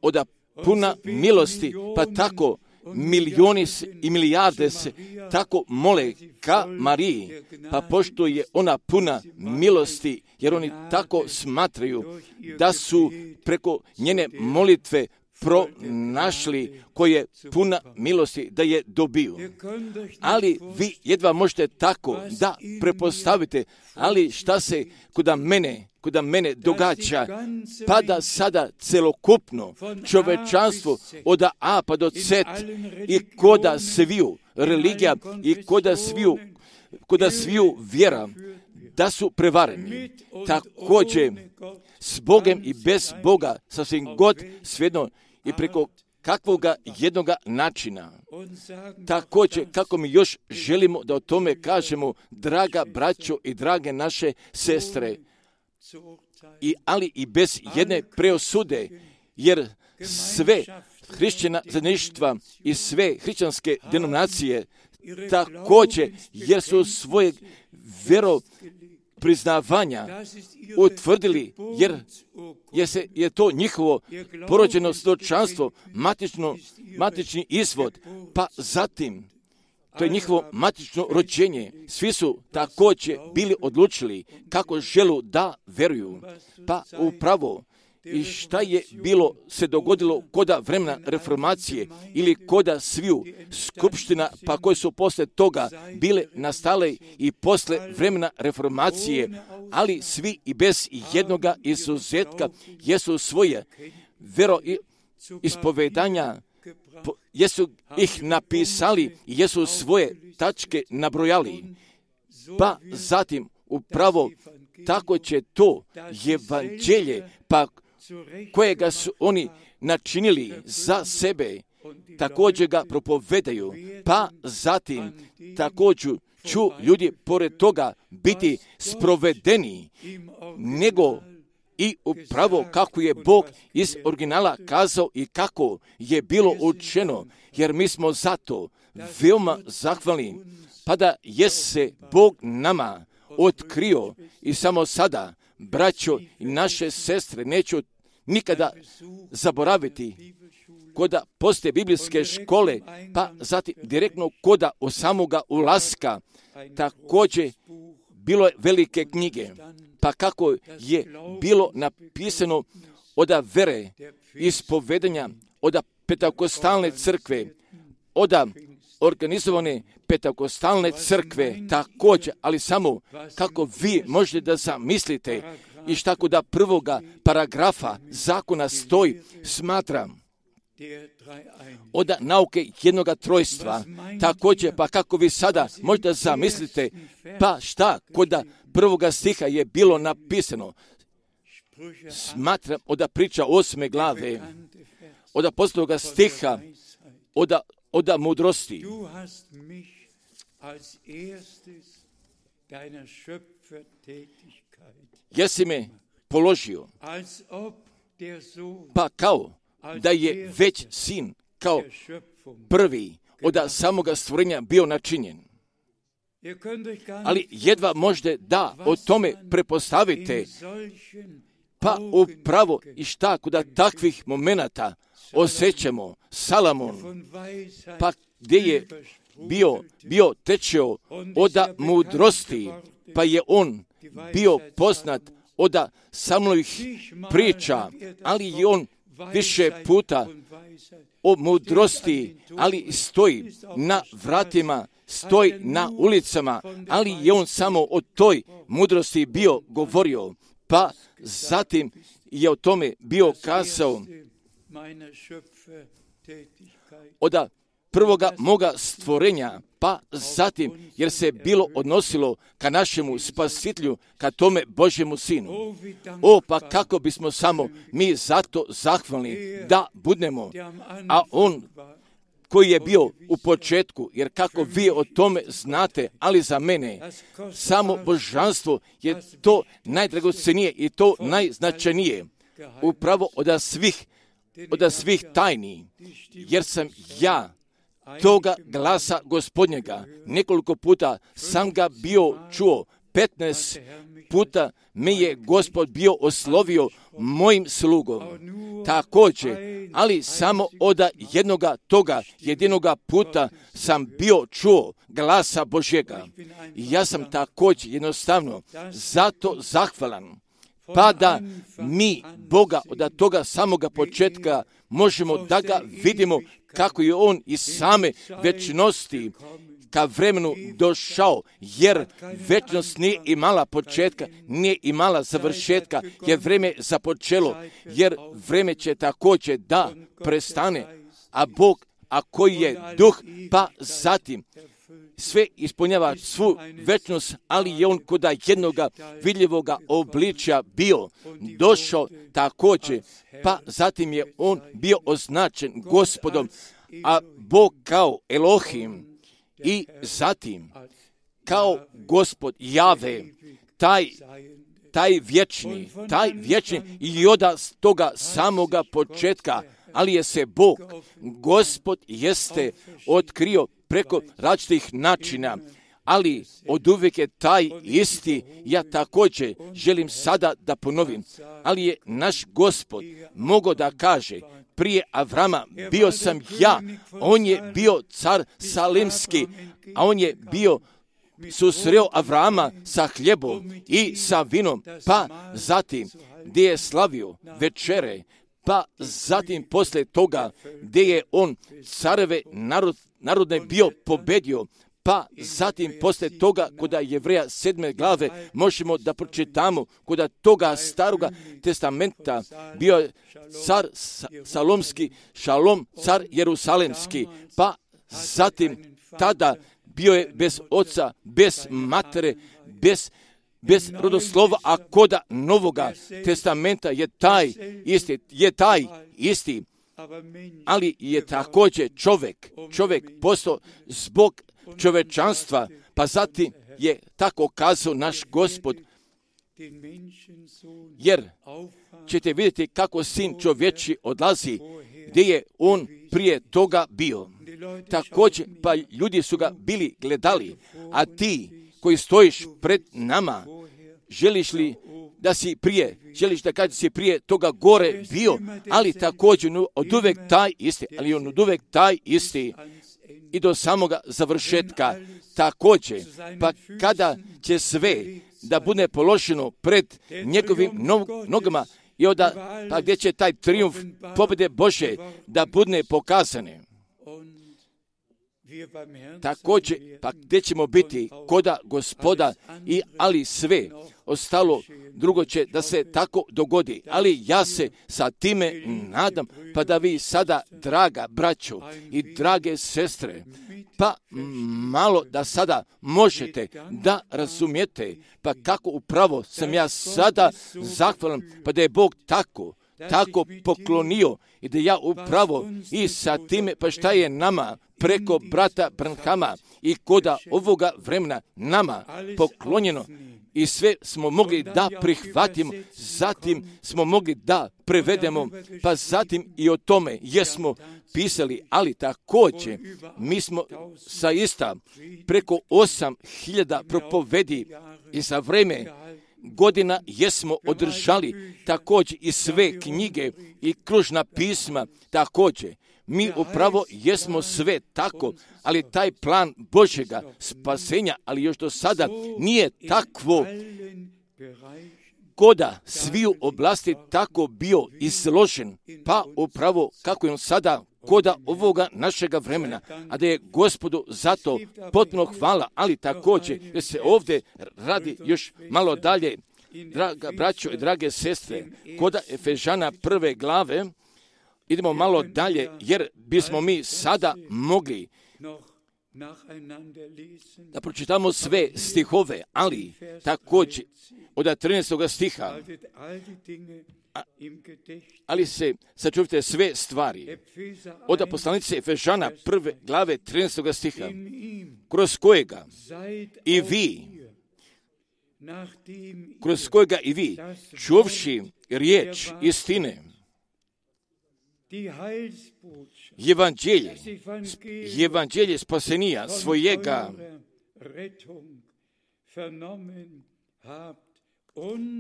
od puna milosti, pa tako milioni i milijarde se tako mole ka Mariji, pa pošto je ona puna milosti, jer oni tako smatraju da su preko njene molitve pronašli koje puna milosti da je dobiju. Ali vi jedva možete tako da prepostavite, ali šta se kod mene događa, pa da sada celokupno čovečanstvo od A pa do Z i koda sviju religija i koda sviju vjera da su prevareni. Također s Bogom i bez Boga, sasvim god svejedno i preko kakvoga jednoga načina. Također, kako mi još želimo da o tome kažemo, draga braćo i drage naše sestre, ali i bez jedne preosude, jer sve hrišćana zajedništva i sve hrišćanske denominacije također, jer su svoje priznavanja utvrdili, jer je to njihovo porođeno svjedočanstvo, matični izvod, pa zatim to je njihovo matično rođenje. Svi su također bili odlučili kako želu da veruju. Pa upravo i šta je bilo se dogodilo koda vremena reformacije ili koda sviju skupština, pa koje su posle toga bile nastale i posle vremena reformacije, ali svi i bez jednoga izuzetka jesu svoje veroispovedanja, jesu ih napisali i jesu svoje tačke nabrojali. Pa zatim upravo tako će to evanđelje, pa kojega su oni načinili za sebe, također ga propovedaju, pa zatim također ću ljudi pored toga biti sprovedeni, nego i upravo kako je Bog iz originala kazao i kako je bilo učeno, jer mi smo zato veoma zahvalni, pa da je se Bog nama otkrio i samo sada, braćo i naše sestre, neću nikada zaboraviti koda postoje biblijske škole, pa zatim direktno koda od samoga ulaska, također bilo je velike knjige, pa kako je bilo napisano od vere, ispovedanja, od Pentakostalne crkve, od organizovane Pentakostalne crkve, također, ali samo kako vi možete da zamislite i šta kod prvoga paragrafa zakona stoji, smatram od nauke jednoga trojstva, također, pa kako vi sada možete zamislite, pa šta kod prvoga stiha je bilo napisano, smatram od priča 8. glave, od posljednoga stiha, od mudrosti. Jesi me položio, pa kao da je već sin kao prvi od samoga stvorenja bio načinjen. Ali jedva možete da o tome prepostavite, pa upravo i šta kod takvih momenata osjećamo Salomon, pa gdje je bio tečeo od mudrosti, pa je on bio poznat od samih priča, ali je on više puta o mudrosti, ali stoji na vratima, stoji na ulicama, ali je on samo o toj mudrosti bio govorio, pa zatim je o tome bio kazao od prvoga moga stvorenja, pa zatim, jer se bilo odnosilo ka našemu spasitelju, ka tome Božjemu Sinu. Pa kako bismo samo mi zato zahvalni da budemo, a on koji je bio u početku, jer kako vi o tome znate, ali za mene samo božanstvo je to najdragocenije i to najznačajnije, upravo od svih tajni, jer sam ja toga glasa Gospodnjega nekoliko puta sam ga bio čuo, 15 puta me je Gospod bio oslovio mojim slugom. Također, ali samo od jedinoga puta sam bio čuo glasa Božjega. Ja sam također jednostavno zato zahvalan, pa da mi Boga od toga samoga početka možemo da ga vidimo kako je on iz same večnosti ka vremenu došao, jer večnost nije imala početka, nije imala završetka, jer vreme započelo, jer vreme će također da prestane, a Bog, a koji je duh, pa zatim sve ispunjava svu večnost, ali je on kod jednoga vidljivoga obličja bio došao također, pa zatim je on bio označen Gospodom, a Bog kao Elohim i zatim kao Gospod Jave, taj vječni i od toga samoga početka, ali je se Bog, Gospod jeste otkrio preko različitih načina, ali od uvijek je taj isti. Ja također želim sada da ponovim, ali je naš Gospod mogao da kaže, prije Avrama bio sam ja, on je bio car Salimski, a on je bio susreo Avrama sa hljebom i sa vinom, pa zatim gdje je slavio večere, pa zatim poslije toga gdje je on careve narodne bio pobedio, pa zatim poslije toga kod Jevreja 7. glave možemo da pročitamo kod toga staroga testamenta bio je car Salomski, Šalom car Jerusalemski, pa zatim tada bio je bez oca, bez matere, bez rodoslova, a kod Novoga testamenta je taj isti, ali je također čovjek postao zbog čovečanstva, pa zatim je tako kazao naš Gospod, jer ćete vidjeti kako sin čovječi odlazi, gdje je on prije toga bio. Također, pa ljudi su ga bili gledali, a ti koji stojiš pred nama, želiš da kažeš si prije toga gore bio, ali također od uvek taj isti, i do samoga završetka također, pa kada će sve da bude položeno pred njegovim nogama i pa gdje će taj trijumf pobjede Bože da bude pokazane. Također, pa gdje ćemo biti koda Gospoda, ali sve ostalo drugo će da se tako dogodi. Ali ja se sa time nadam, pa da vi sada, draga braćo i drage sestre, pa malo da sada možete da razumijete, pa kako upravo sam ja sada zahvalan, pa da je Bog tako poklonio i da ja upravo i sa time, pa šta je nama preko brata Branhama i koda ovoga vremena nama poklonjeno i sve smo mogli da prihvatimo, zatim smo mogli da prevedemo, pa zatim i o tome jesmo pisali, ali također mi smo saista preko 8.000 propovedi i za vreme godina jesmo održali također i sve knjige i kružna pisma također. Mi upravo jesmo sve tako, ali taj plan Božjega spasenja, ali još do sada nije takvo koda sviju oblasti tako bio izložen, pa upravo kako je on sada koda ovoga našega vremena, a da je Gospodu zato potpuno hvala, ali također da se ovdje radi još malo dalje, draga braćo i drage sestre, koda Efežana 1. glave, idemo malo dalje, jer bismo mi sada mogli da pročitamo sve stihove, ali također od 13. stiha, ali se sačuvite sve stvari. Od poslanice Efežana 1. glave 13. stiha, kroz kojega i vi, čuvši riječ istine, Evanđelje spasenija svojega,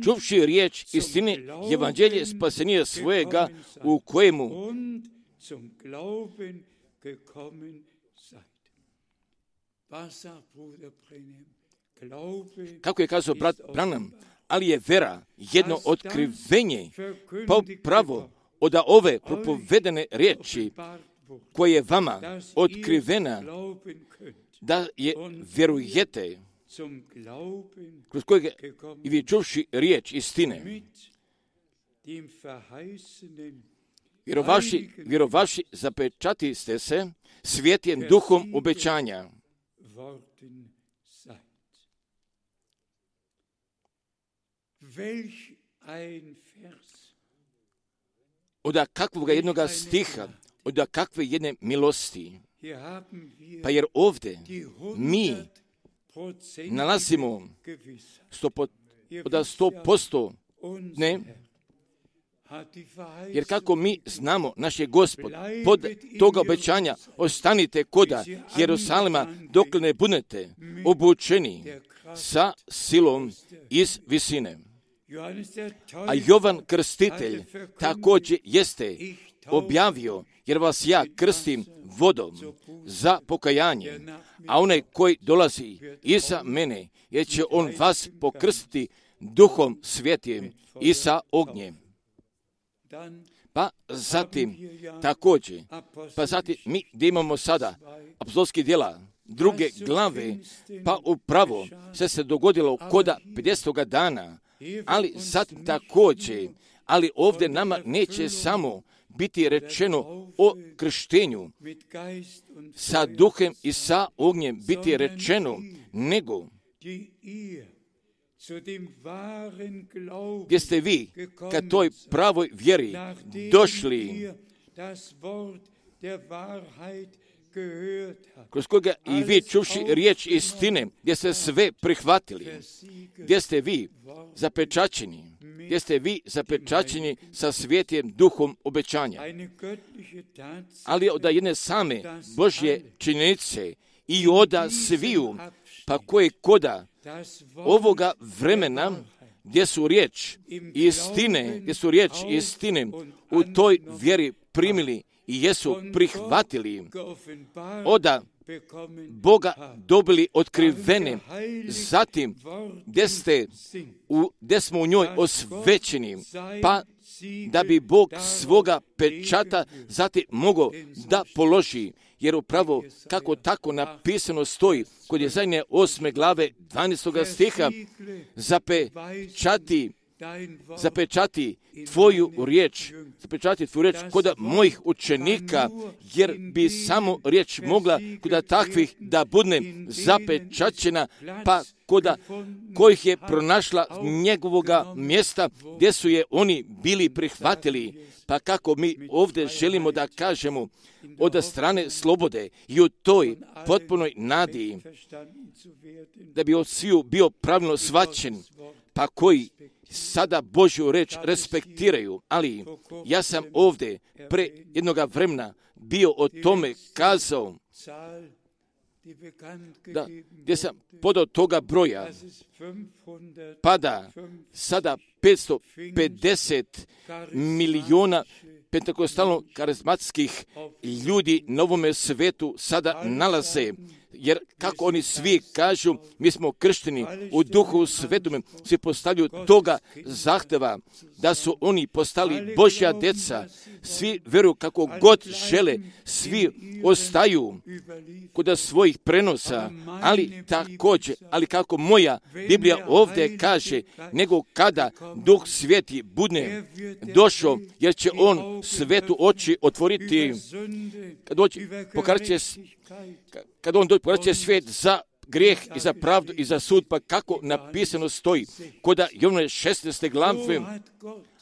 čuvši riječ istine, Evanđelje spasenija svojega, u kojemu kako je kazao brat Branham, ali je vera jedno otkrivenje, pa pravo od ove propovedene riječi koje je vama otkrivena, da je vjerujete, kroz kojeg i vi čuvši riječ istine, vjerovaši zapečati ste se svjetlim duhom obećanja. Od kakvog jednoga stiha, od kakve jedne milosti. Pa jer ovdje mi nalazimo 100% ne, jer kako mi znamo, naš je Gospod pod toga obećanja, ostanite koda Jerusalima dok ne budete obučeni sa silom iz visine. A Jovan Krstitelj također jeste objavio, jer vas ja krstim vodom za pokajanje, a onaj koji dolazi iza mene, jer će on vas pokrstiti duhom svjetim i sa ognjem. Pa zatim također, mi gdje imamo sada apostolskih djela 2. glave, pa upravo se dogodilo koda 50. dana, ali zatim također, ali ovdje nama neće samo biti rečeno o krštenju sa duhem i sa ognjem biti rečeno, nego gdje ste vi ka toj pravoj vjeri došli, kroz koga i vi čuvši riječ istine, gdje ste sve prihvatili, gdje ste vi zapečaćeni sa svjetlim duhom obećanja. Ali od jedne same Božje činjenice i oda sviju, pa koje koda ovoga vremena, gdje su riječ istine u toj vjeri primili i jesu prihvatili, oda Boga dobili otkrivene, zatim gdje smo u njoj osvećeni, pa da bi Bog svoga pečata zatim mogao da položi, jer upravo kako tako napisano stoji kod Jesaje 8. glave 12. stiha, zapečati tvoju riječ kod mojih učenika, jer bi samo riječ mogla kod takvih da bude zapečaćena, pa kod kojih je pronašla njegovoga mjesta gdje su je oni bili prihvatili. Pa kako mi ovdje želimo da kažemo od strane slobode i u toj potpunoj nadi da bi od sviju bio pravilno shvaćen, pa koji sada Božju reč respektiraju, ali ja sam ovdje pre jednoga vremena bio o tome kazao, da, gdje sam podao toga broja, pada sada 550 milijuna pentekostalno karizmatskih ljudi na ovome svetu sada nalaze jer kako oni svi kažu, mi smo kršteni u Duhu Svetome, svi postavljaju toga zahteva da su oni postali Božja djeca, svi vjeruju kako god žele, svi ostaju kod svojih prenosa, ali također, ali kako moja Biblija ovdje kaže, nego kada Duh Sveti bude došao, jer će on svetu oči otvoriti, kad on pokaže svijet za grijeh i za pravdu i za sud, pa kako napisano stoji kod Jovnove 16. glave,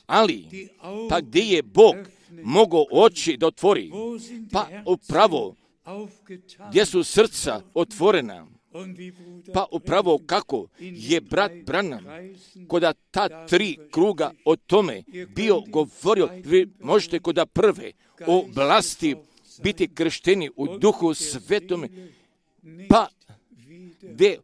ali pa gdje je Bog mogao oči da otvori, pa upravo gdje su srca otvorena, pa upravo kako je brat Branham kod ta 3 kruga o tome bio govorio, vi možete kod prve oblasti biti kršteni u Duhu Svetome, pa gdje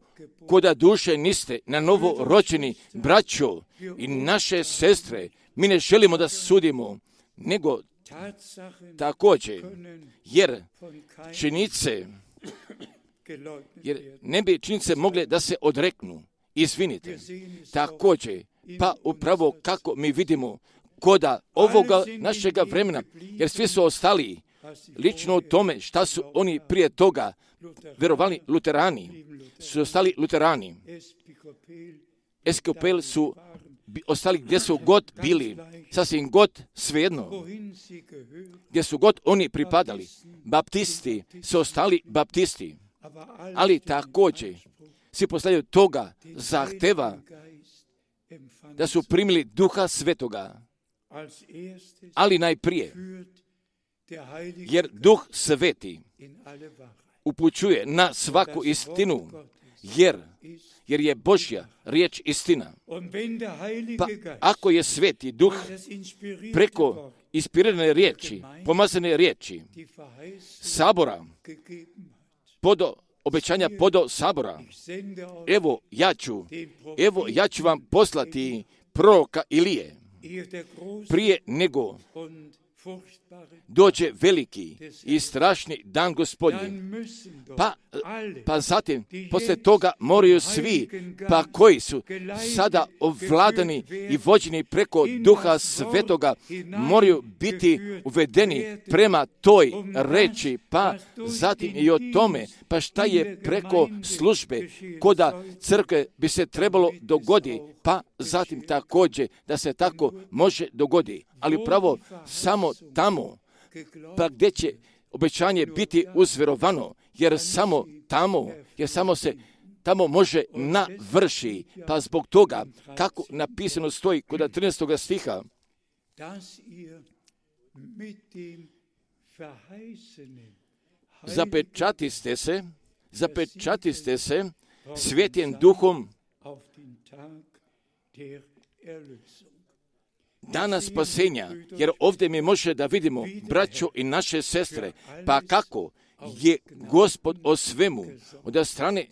koda duše niste na novo rođeni, braćo i naše sestre, mi ne želimo da sudimo, nego također, jer ne bi činjenice mogle da se odreknu. Izvinite, također, pa upravo kako mi vidimo koda ovoga našega vremena, jer svi su ostali lično u tome šta su oni prije toga vjerovali luterani, su ostali luterani. Episkopali su ostali gdje su god bili, sasvim god svejedno, gdje su god oni pripadali. Baptisti su ostali baptisti, ali također svi postavljaju toga zahteva da su primili Duha Svetoga, ali najprije, jer Duh Sveti upućuje na svaku istinu, jer je Božja riječ istina. Pa ako je Sveti Duh preko inspirirane riječi, pomazane riječi, sabora, obećanja podo sabora, evo ja ću vam poslati proroka Ilije, prije nego dođe veliki i strašni dan Gospodnji. Pa zatim, poslije toga moraju svi, pa koji su sada ovladani i vođeni preko Duha Svetoga, moraju biti uvedeni prema toj reči, pa zatim i o tome, pa šta je preko službe, koda crkve bi se trebalo dogoditi, pa zatim također da se tako može dogoditi. Ali upravo samo tamo, pa gdje će obećanje biti uzvjerovano, jer samo se tamo može navrši. Pa zbog toga, kako napisano stoji kod 13. stiha, zapečatiste se Svetim Duhom dana spasenja, jer ovdje mi može da vidimo, braćo i naše sestre, pa kako je Gospod o svemu od strane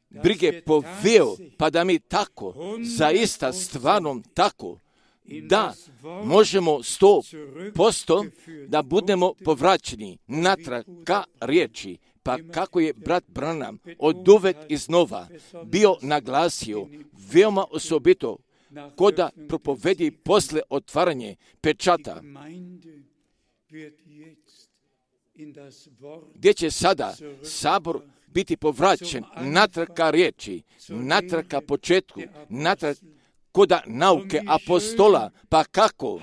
brige poveo, pa da mi tako, zaista stvarno tako, da možemo 100% da budemo povraćeni natrag ka riječi, pa kako je brat Branham oduvek iznova bio naglasio veoma osobito koda propovedi posle otvaranje pečata, gdje će sada sabor biti povraćen natrag ka riječi, natrag ka početku, natrag koda nauke apostola, pa kako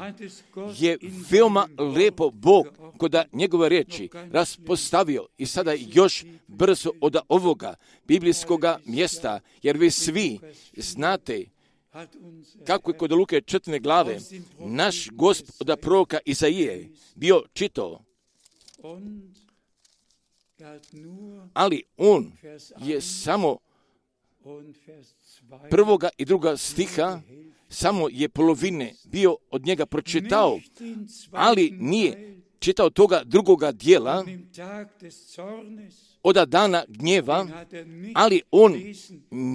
je veoma lepo Bog koda njegove riječi raspostavio i sada još brzo od ovoga biblijskoga mjesta, jer vi svi znate kako je kod Luke 4. glave naš Gospod od proroka Izaije bio čitao, ali on je samo prvoga i druga stiha, samo je polovine bio od njega pročitao, ali nije čitao toga drugoga dijela od dana gnjeva, ali on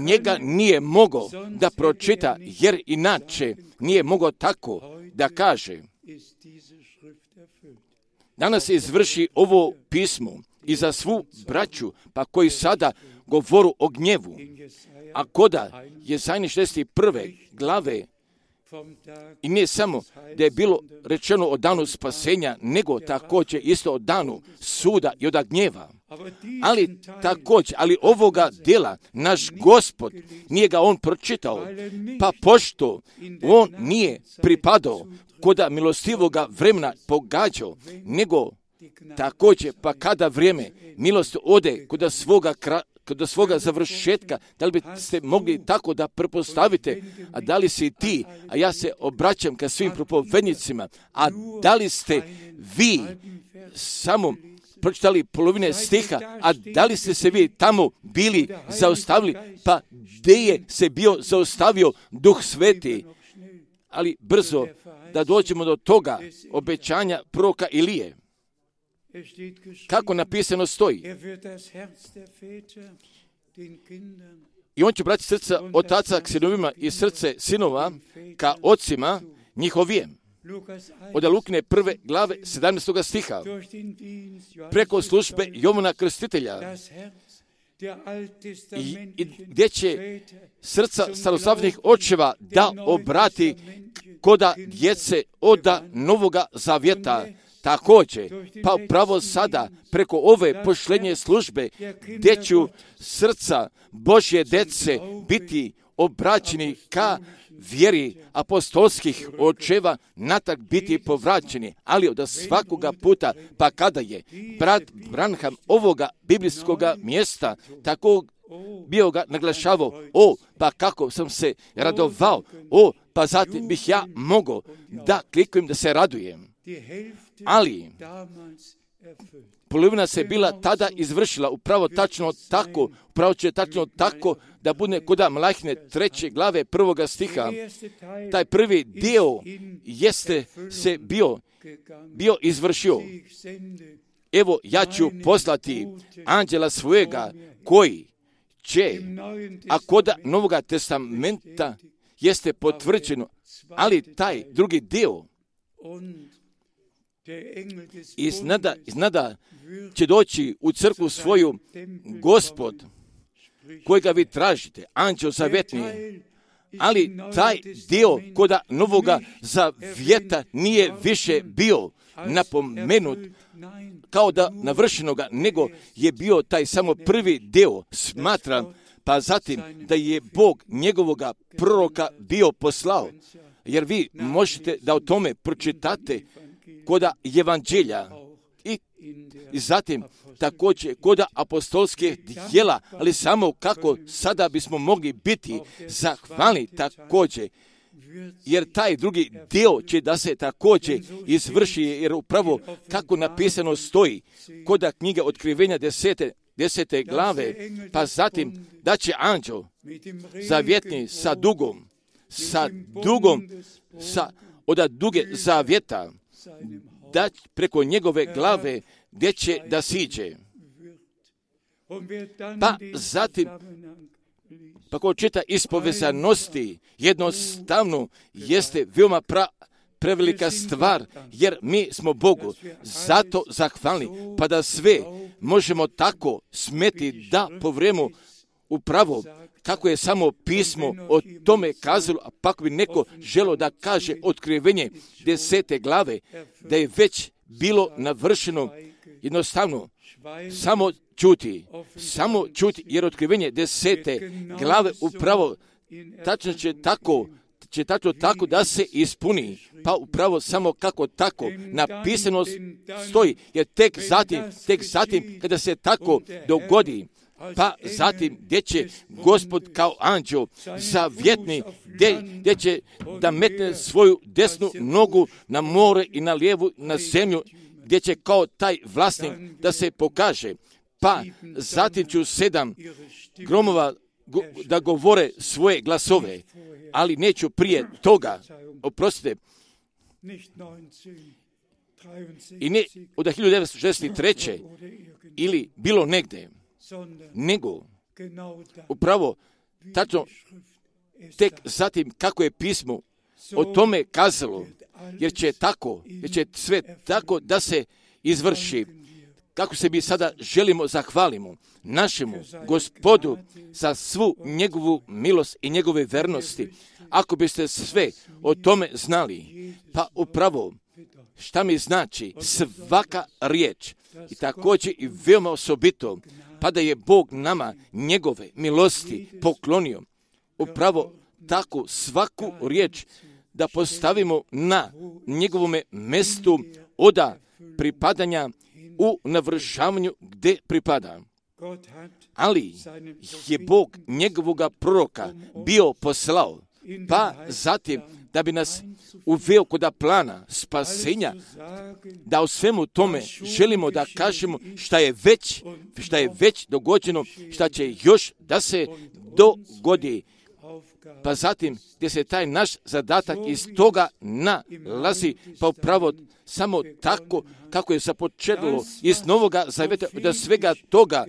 njega nije mogao da pročita, jer inače nije mogao tako da kaže. danas se izvrši ovo pismo i za svu braću, pa koji sada govoru o gnjevu. A koda Jesaja 61. glave, i nije samo da je bilo rečeno o danu spasenja, nego također isto o danu suda i od gnjeva. Ali također, ovoga dela naš Gospod nije ga on pročitao, pa pošto on nije pripadao koda milostivoga vremena pogađao, nego također pa kada vrijeme milost ode kod svoga završetka, da li biste mogli tako da pretpostavite, a da li si ti, a ja se obraćam ka svim propovednicima, a da li ste vi samo pročitali polovine stiha, a da li ste se vi tamo bili zaustavili, pa gdje je se bio zaustavio Duh Sveti, ali brzo da dođemo do toga obećanja proroka Ilije. Kako napisano stoji. I on će brati srca otaca k sinovima i srce sinova ka ocima njihovijem. Od Lukine 1. glave 17. stiha. Preko službe Jovana Krstitelja i gdje će srca staroslavnih očeva da obrati koda djece od Novoga Zavjeta. Također, pa upravo sada, preko ove pošlenje službe, gdje ću srca Božje djece biti obraćeni ka vjeri apostolskih očeva, natak biti povraćeni, ali od svakoga puta, pa kada je brat Branham ovoga biblijskoga mjesta tako bio ga naglašavao, pa kako sam se radovao, pa zatim bih ja mogao da klikujem da se radujem. Ali polovina se bila tada izvršila upravo će tačno tako da bude koda Malahine 3. glave 1. stiha. Taj prvi dio jeste se bio izvršio. Evo, ja ću poslati anđela svojega koji će, a koda Novoga testamenta jeste potvrđeno, ali taj drugi dio iznada će doći u crkvu svoju Gospod, kojega vi tražite, anđel zavjetni, ali taj dio koda Novoga Zavjeta nije više bio napomenut kao da navršenoga, nego je bio taj samo prvi dio. Smatram, pa zatim da je Bog njegovoga proroka bio poslao, jer vi možete da o tome pročitate koda evanđelja i zatim također koda apostolskih djela, ali samo kako sada bismo mogli biti zahvalni također, jer taj drugi dio će da se također izvrši, jer upravo kako napisano stoji koda knjige Otkrivenja 10. glave, pa zatim da će anđel zavjetni sa dugom od duge zavjeta, da preko njegove glave gdje će da siđe. Pa zatim, pa ko čita iz povezanosti, jednostavno jeste veoma prevelika stvar, jer mi smo Bogu zato zahvalni, pa da sve možemo tako smeti da povremenu upravo kako je samo pismo o tome kazalo, a pa bi neko želo da kaže Otkrivenje 10. glave, da je već bilo navršeno, jednostavno samo čuti, jer Otkrivenje 10. glave upravo tačno će tako da se ispuni, pa upravo samo kako tako napisano stoji, jer tek zatim kada se tako dogodi, pa zatim gdje će Gospod kao anđel zavjetni, gdje će da metne svoju desnu nogu na more i na lijevu na zemlju, gdje će kao taj vlasnik da se pokaže, pa zatim ću 7 gromova da govore svoje glasove, ali neću prije toga, oprostite, i ne od 1963. ili bilo negdje, nego upravo tačno tek zatim kako je pismo o tome kazalo, jer će sve tako da se izvrši. Kako se mi sada želimo zahvalimo našemu Gospodu za svu njegovu milost i njegove vernosti. Ako biste sve o tome znali, pa upravo šta mi znači svaka riječ i također i veoma osobito, pa da je Bog nama njegove milosti poklonio. Upravo tako svaku riječ da postavimo na njegovome mestu oda pripadanja u navršavanju gdje pripada. Ali je Bog njegovoga proroka bio poslao, pa zatim da bi nas uveo kod plana spasenja, da u svemu tome želimo da kažemo šta je već dogođeno, šta će još da se dogodi. Pa zatim gdje se taj naš zadatak iz toga nalazi, pa upravo samo tako kako je započelo iz Novoga Zaveta, da svega toga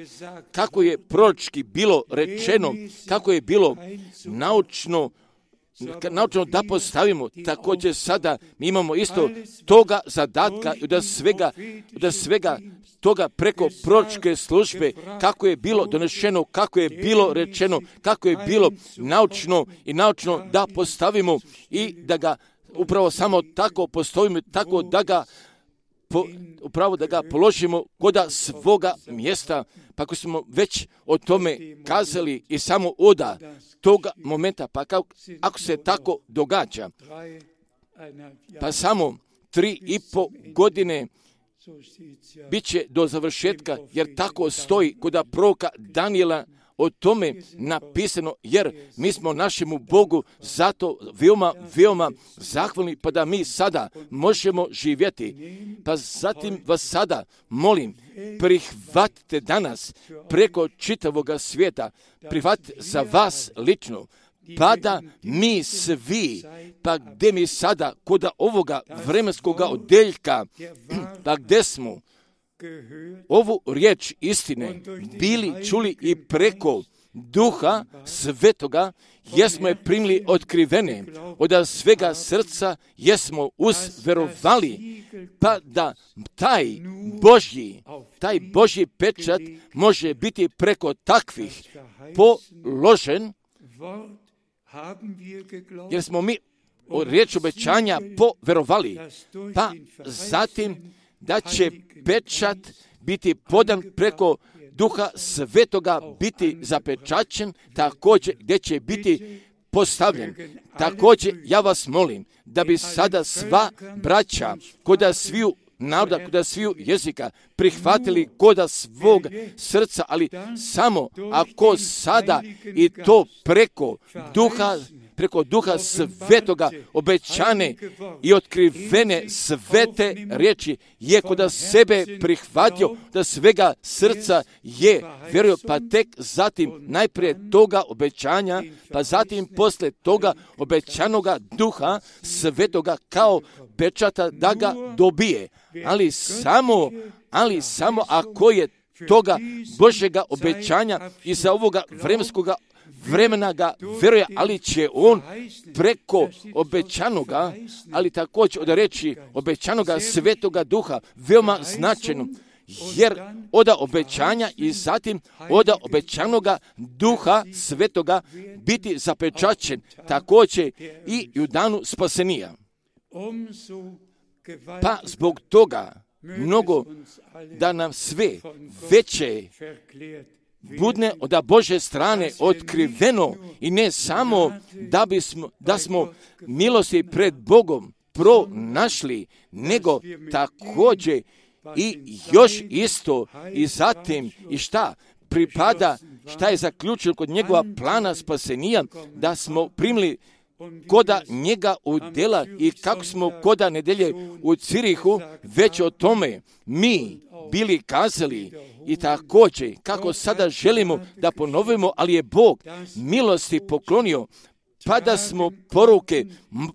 kako je proročki bilo rečeno, kako je bilo naučno da postavimo, također sada mi imamo isto toga zadatka da svega toga preko proročke službe, kako je bilo donešeno, kako je bilo rečeno, kako je bilo naučno da postavimo i da ga upravo samo tako postavimo, tako da ga upravo da ga položimo kod svoga mjesta. Pa ako smo već o tome kazali i samo oda toga momenta, pa ako se tako događa, pa samo 3,5 godine bit će do završetka, jer tako stoji kod proroka Danijela o tome napisano, jer mi smo našemu Bogu zato veoma zahvalni, pa da mi sada možemo živjeti. Pa zatim vas sada molim, prihvatite danas preko čitavoga svijeta, prihvatite za vas lično, pa da mi svi, pa gdje mi sada kod ovoga vremenskoga odeljka, pa gdje smo ovu riječ istine bili čuli i preko Duha Svetoga, jesmo je primili otkrivene od svega srca, jesmo uzverovali, pa da taj Božji pečat može biti preko takvih položen, jer smo mi riječ obećanja poverovali, pa zatim da će pečat biti podan preko Duha Svetoga, biti zapečaćen, također gdje će biti postavljen. Također ja vas molim da bi sada sva braća koda sviju naroda, koda sviju jezika prihvatili koda svog srca, ali samo ako sada i to preko Duha Svetoga obećane i otkrivene svete riječi je koda sebe prihvatio, da svega srca je vjerujem, pa tek zatim najprije toga obećanja, pa zatim posle toga obećanoga Duha Svetoga kao pečata da ga dobije. Ali samo ako je toga Božjega obećanja i za ovoga vremenskoga vremena ga vjeruje, ali će on preko obećanoga, ali također od reći obećanoga Svetoga Duha veoma značajno, jer od obećanja i zatim od obećanoga Duha Svetoga biti zapečaćen također i u danu spasenija. Pa zbog toga mnogo da nam sve veće budne od Božje strane otkriveno i ne samo da smo milosti pred Bogom pronašli, nego također i još isto i zatim i šta pripada, šta je zaključeno kod njegova plana spasenija, da smo primili koda njega u djela i kako smo koda nedelje u Cirihu već o tome mi bili kazali i također kako sada želimo da ponovimo, ali je Bog milosti poklonio, pa da smo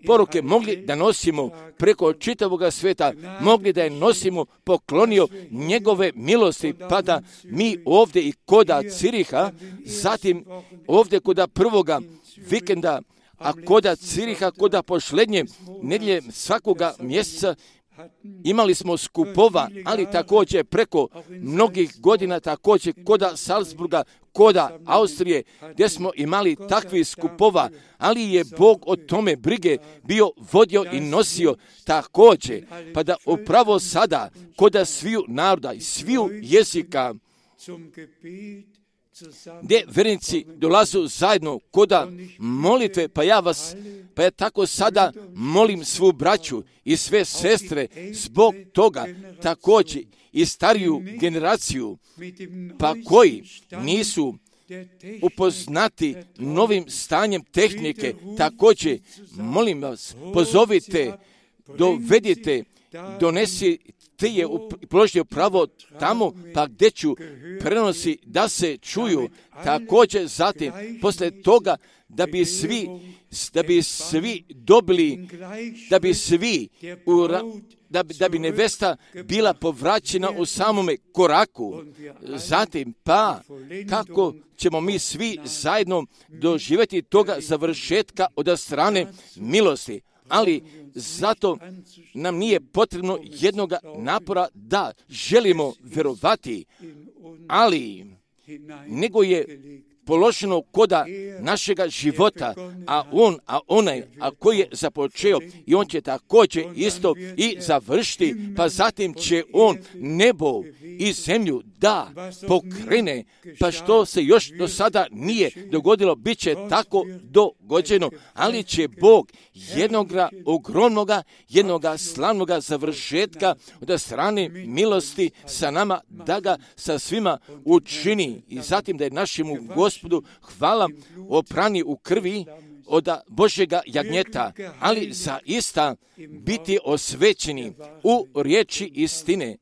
poruke mogli da nosimo preko čitavoga svijeta, mogli da je nosimo, poklonio njegove milosti, pa da mi ovdje i koda Ciriha, zatim ovdje koda prvoga vikenda, a koda Ciriha, koda posljednje nedjelje svakoga mjeseca, imali smo skupova, ali također preko mnogih godina, također koda Salzburga, koda Austrije, gdje smo imali takvih skupova, ali je Bog o tome brige bio vodio i nosio također, pa da upravo sada, koda sviju naroda i sviju jezika, gdje vernici dolazu zajedno koda molitve, pa ja tako sada molim svu braću i sve sestre zbog toga također i stariju generaciju, pa koji nisu upoznati novim stanjem tehnike, također molim vas, pozovite, dovedite, donesite je položio pravo tamo, pa gdje ću prenosi da se čuju, također zatim, posle toga, da bi svi dobili, da bi nevesta bila povraćena u samome koraku. Zatim, pa kako ćemo mi svi zajedno doživjeti toga završetka od strane milosti. Ali zato nam nije potrebno jednoga napora da želimo vjerovati, ali nego je položeno koda našega života, a koji je započeo i on će također isto i završiti, pa zatim će on nebo i zemlju da pokrene, pa što se još do sada nije dogodilo, bit će tako dogođeno, ali će Bog jednoga ogromnoga, jednoga slavnoga završetka od strane milosti sa nama, da ga sa svima učini i zatim da je našemu Gospodu hvala oprani u krvi od Božjega jagnjeta, ali zaista biti osvećeni u riječi istine,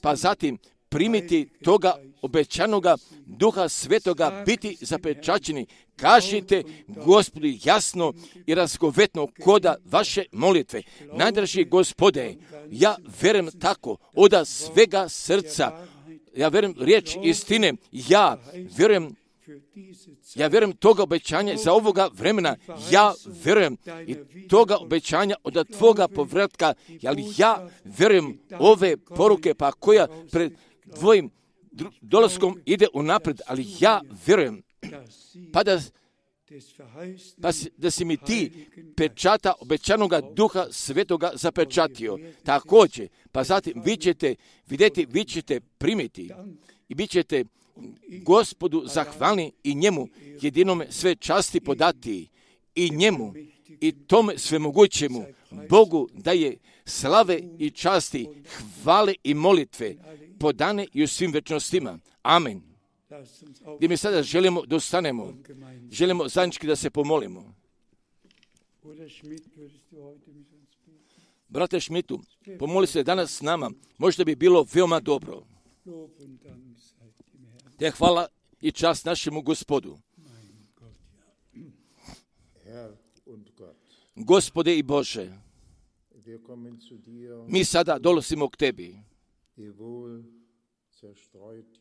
pa zatim primiti toga obećanoga Duha Svetoga, biti zapečaćeni. Kažite Gospodu jasno i razgovetno koda vaše molitve. Najdraži Gospode, ja vjerujem tako od svega srca, ja vjerujem riječ istine, ja vjerujem toga obećanja za ovoga vremena, ja vjerujem i toga obećanja od tvoga povratka, ali ja vjerujem ove poruke pa koja pred tvojim dolaskom ide unaprijed, ali ja vjerujem da si mi ti pečata obećanoga Duha Svetoga zapečatio. Također, pa zatim vi ćete primiti i bit ćete Gospodu zahvalni i njemu jedinome sve časti podati i njemu i tome svemogućemu Bogu daje slave i časti, hvale i molitve podane i u svim večnostima. Amen. Gdje mi sada želimo da ostanemo, želimo zajednički da se pomolimo. Brate Šmitu, pomoli se danas s nama, možda bi bilo veoma dobro. Te hvala i čast našemu Gospodu. Gospode i Bože, mi sada dolazimo k Tebi.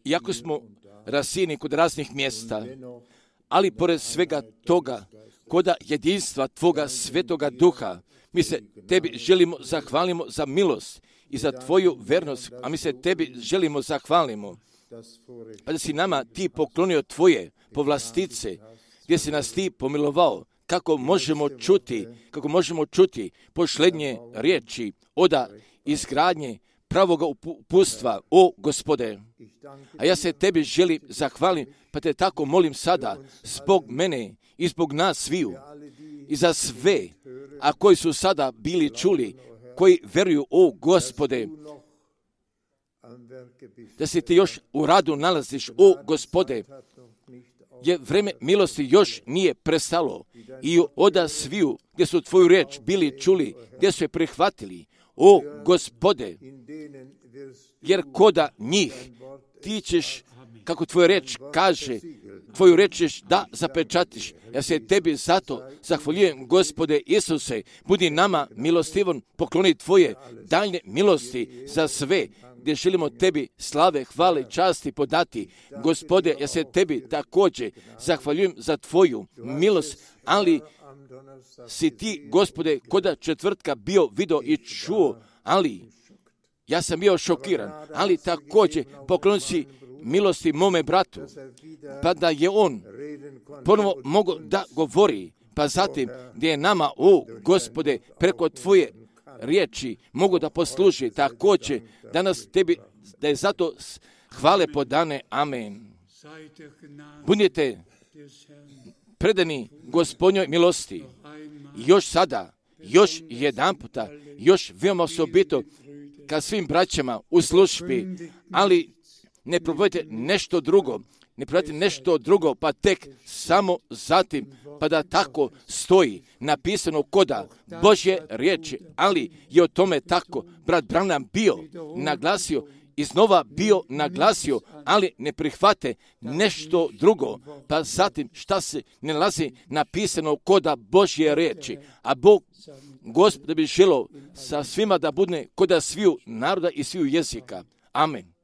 Iako smo rasijeni kod raznih mjesta, ali pored svega toga, koda jedinstva Tvoga Svetoga Duha, mi se Tebi želimo zahvalimo za milost i za Tvoju vernost, a mi se Tebi želimo zahvalimo. Pa da si nama Ti poklonio Tvoje povlastice, gdje si nas Ti pomilovao, kako možemo čuti pošlednje riječi oda izgradnje pravoga upustva, o Gospode. A ja se Tebi želim zahvalim, pa Te tako molim sada, zbog mene i zbog nas sviju, i za sve, a koji su sada bili čuli, koji vjeruju, o Gospode, da se Ti još u radu nalaziš, o Gospode, jer vreme milosti još nije prestalo i oda sviju gdje su Tvoju riječ bili čuli, gdje su je prihvatili, o Gospode, jer koda njih Ti ćeš, kako Tvoja riječ kaže, Tvoju riječ ćeš da zapečatiš. Ja se Tebi zato zahvaljujem, Gospode Isuse, budi nama milostivan, pokloni Tvoje daljne milosti za sve, gdje želimo Tebi slave, hvale, časti podati. Gospode, ja se Tebi također zahvaljujem za Tvoju milost, ali si ti, Gospode, koda četvrtka bio, video i čuo, ali ja sam bio šokiran, ali također poklon si milosti mome bratu, pa da je on ponovo mogo da govori, pa zatim gdje je nama, Gospode, preko tvoje riječi mogu da posluži, također danas tebi, da je zato hvale podane, amen. Budite predani Gospodnjoj milosti, još sada, još jedan puta, još veoma osobito ka svim braćama u službi, ali ne probajte nešto drugo, pa tek samo zatim, pa da tako stoji napisano koda Božje riječi, ali je o tome tako brat Branham bio naglasio, iznova bio naglasio, ali ne prihvate nešto drugo, pa zatim šta se ne nalazi napisano koda Božje riječi, a Bog, Gospod, da bi želio sa svima da bude koda sviju naroda i sviju jezika. Amen.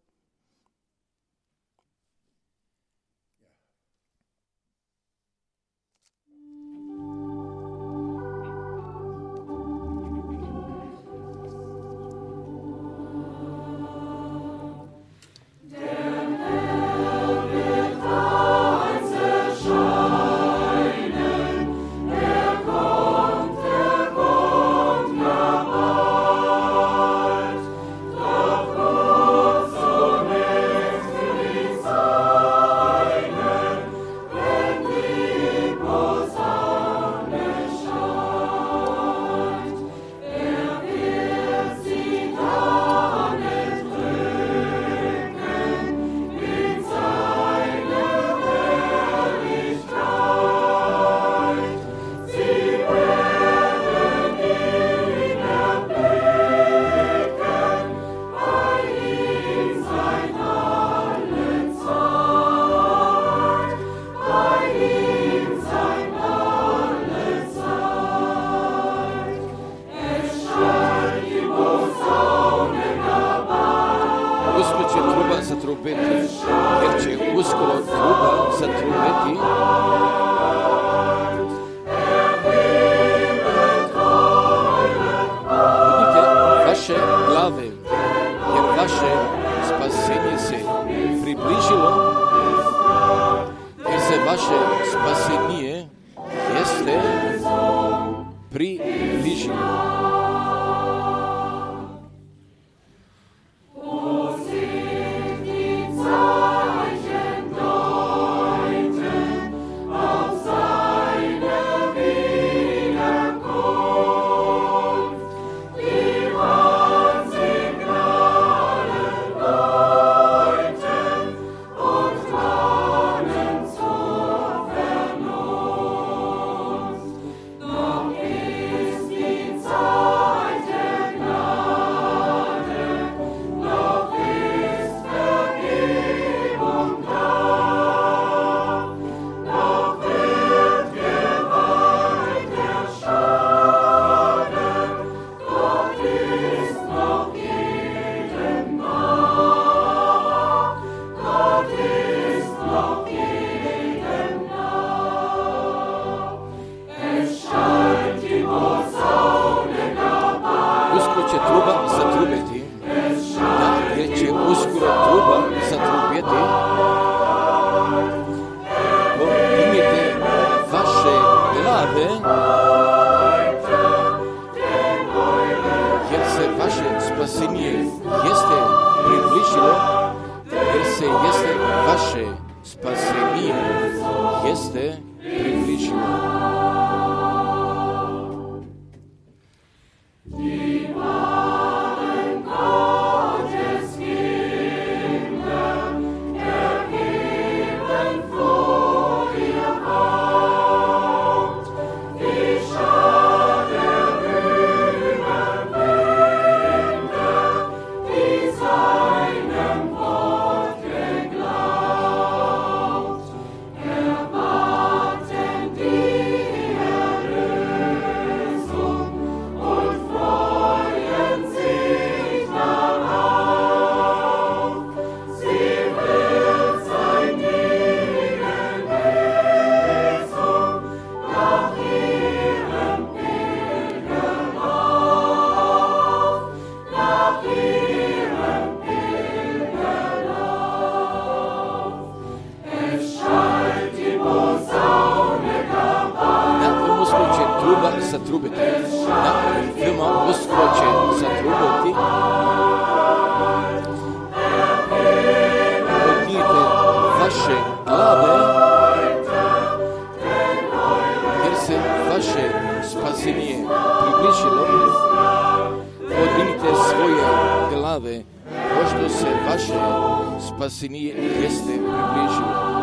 slave, pošto se vaše spasenije jeste približilo.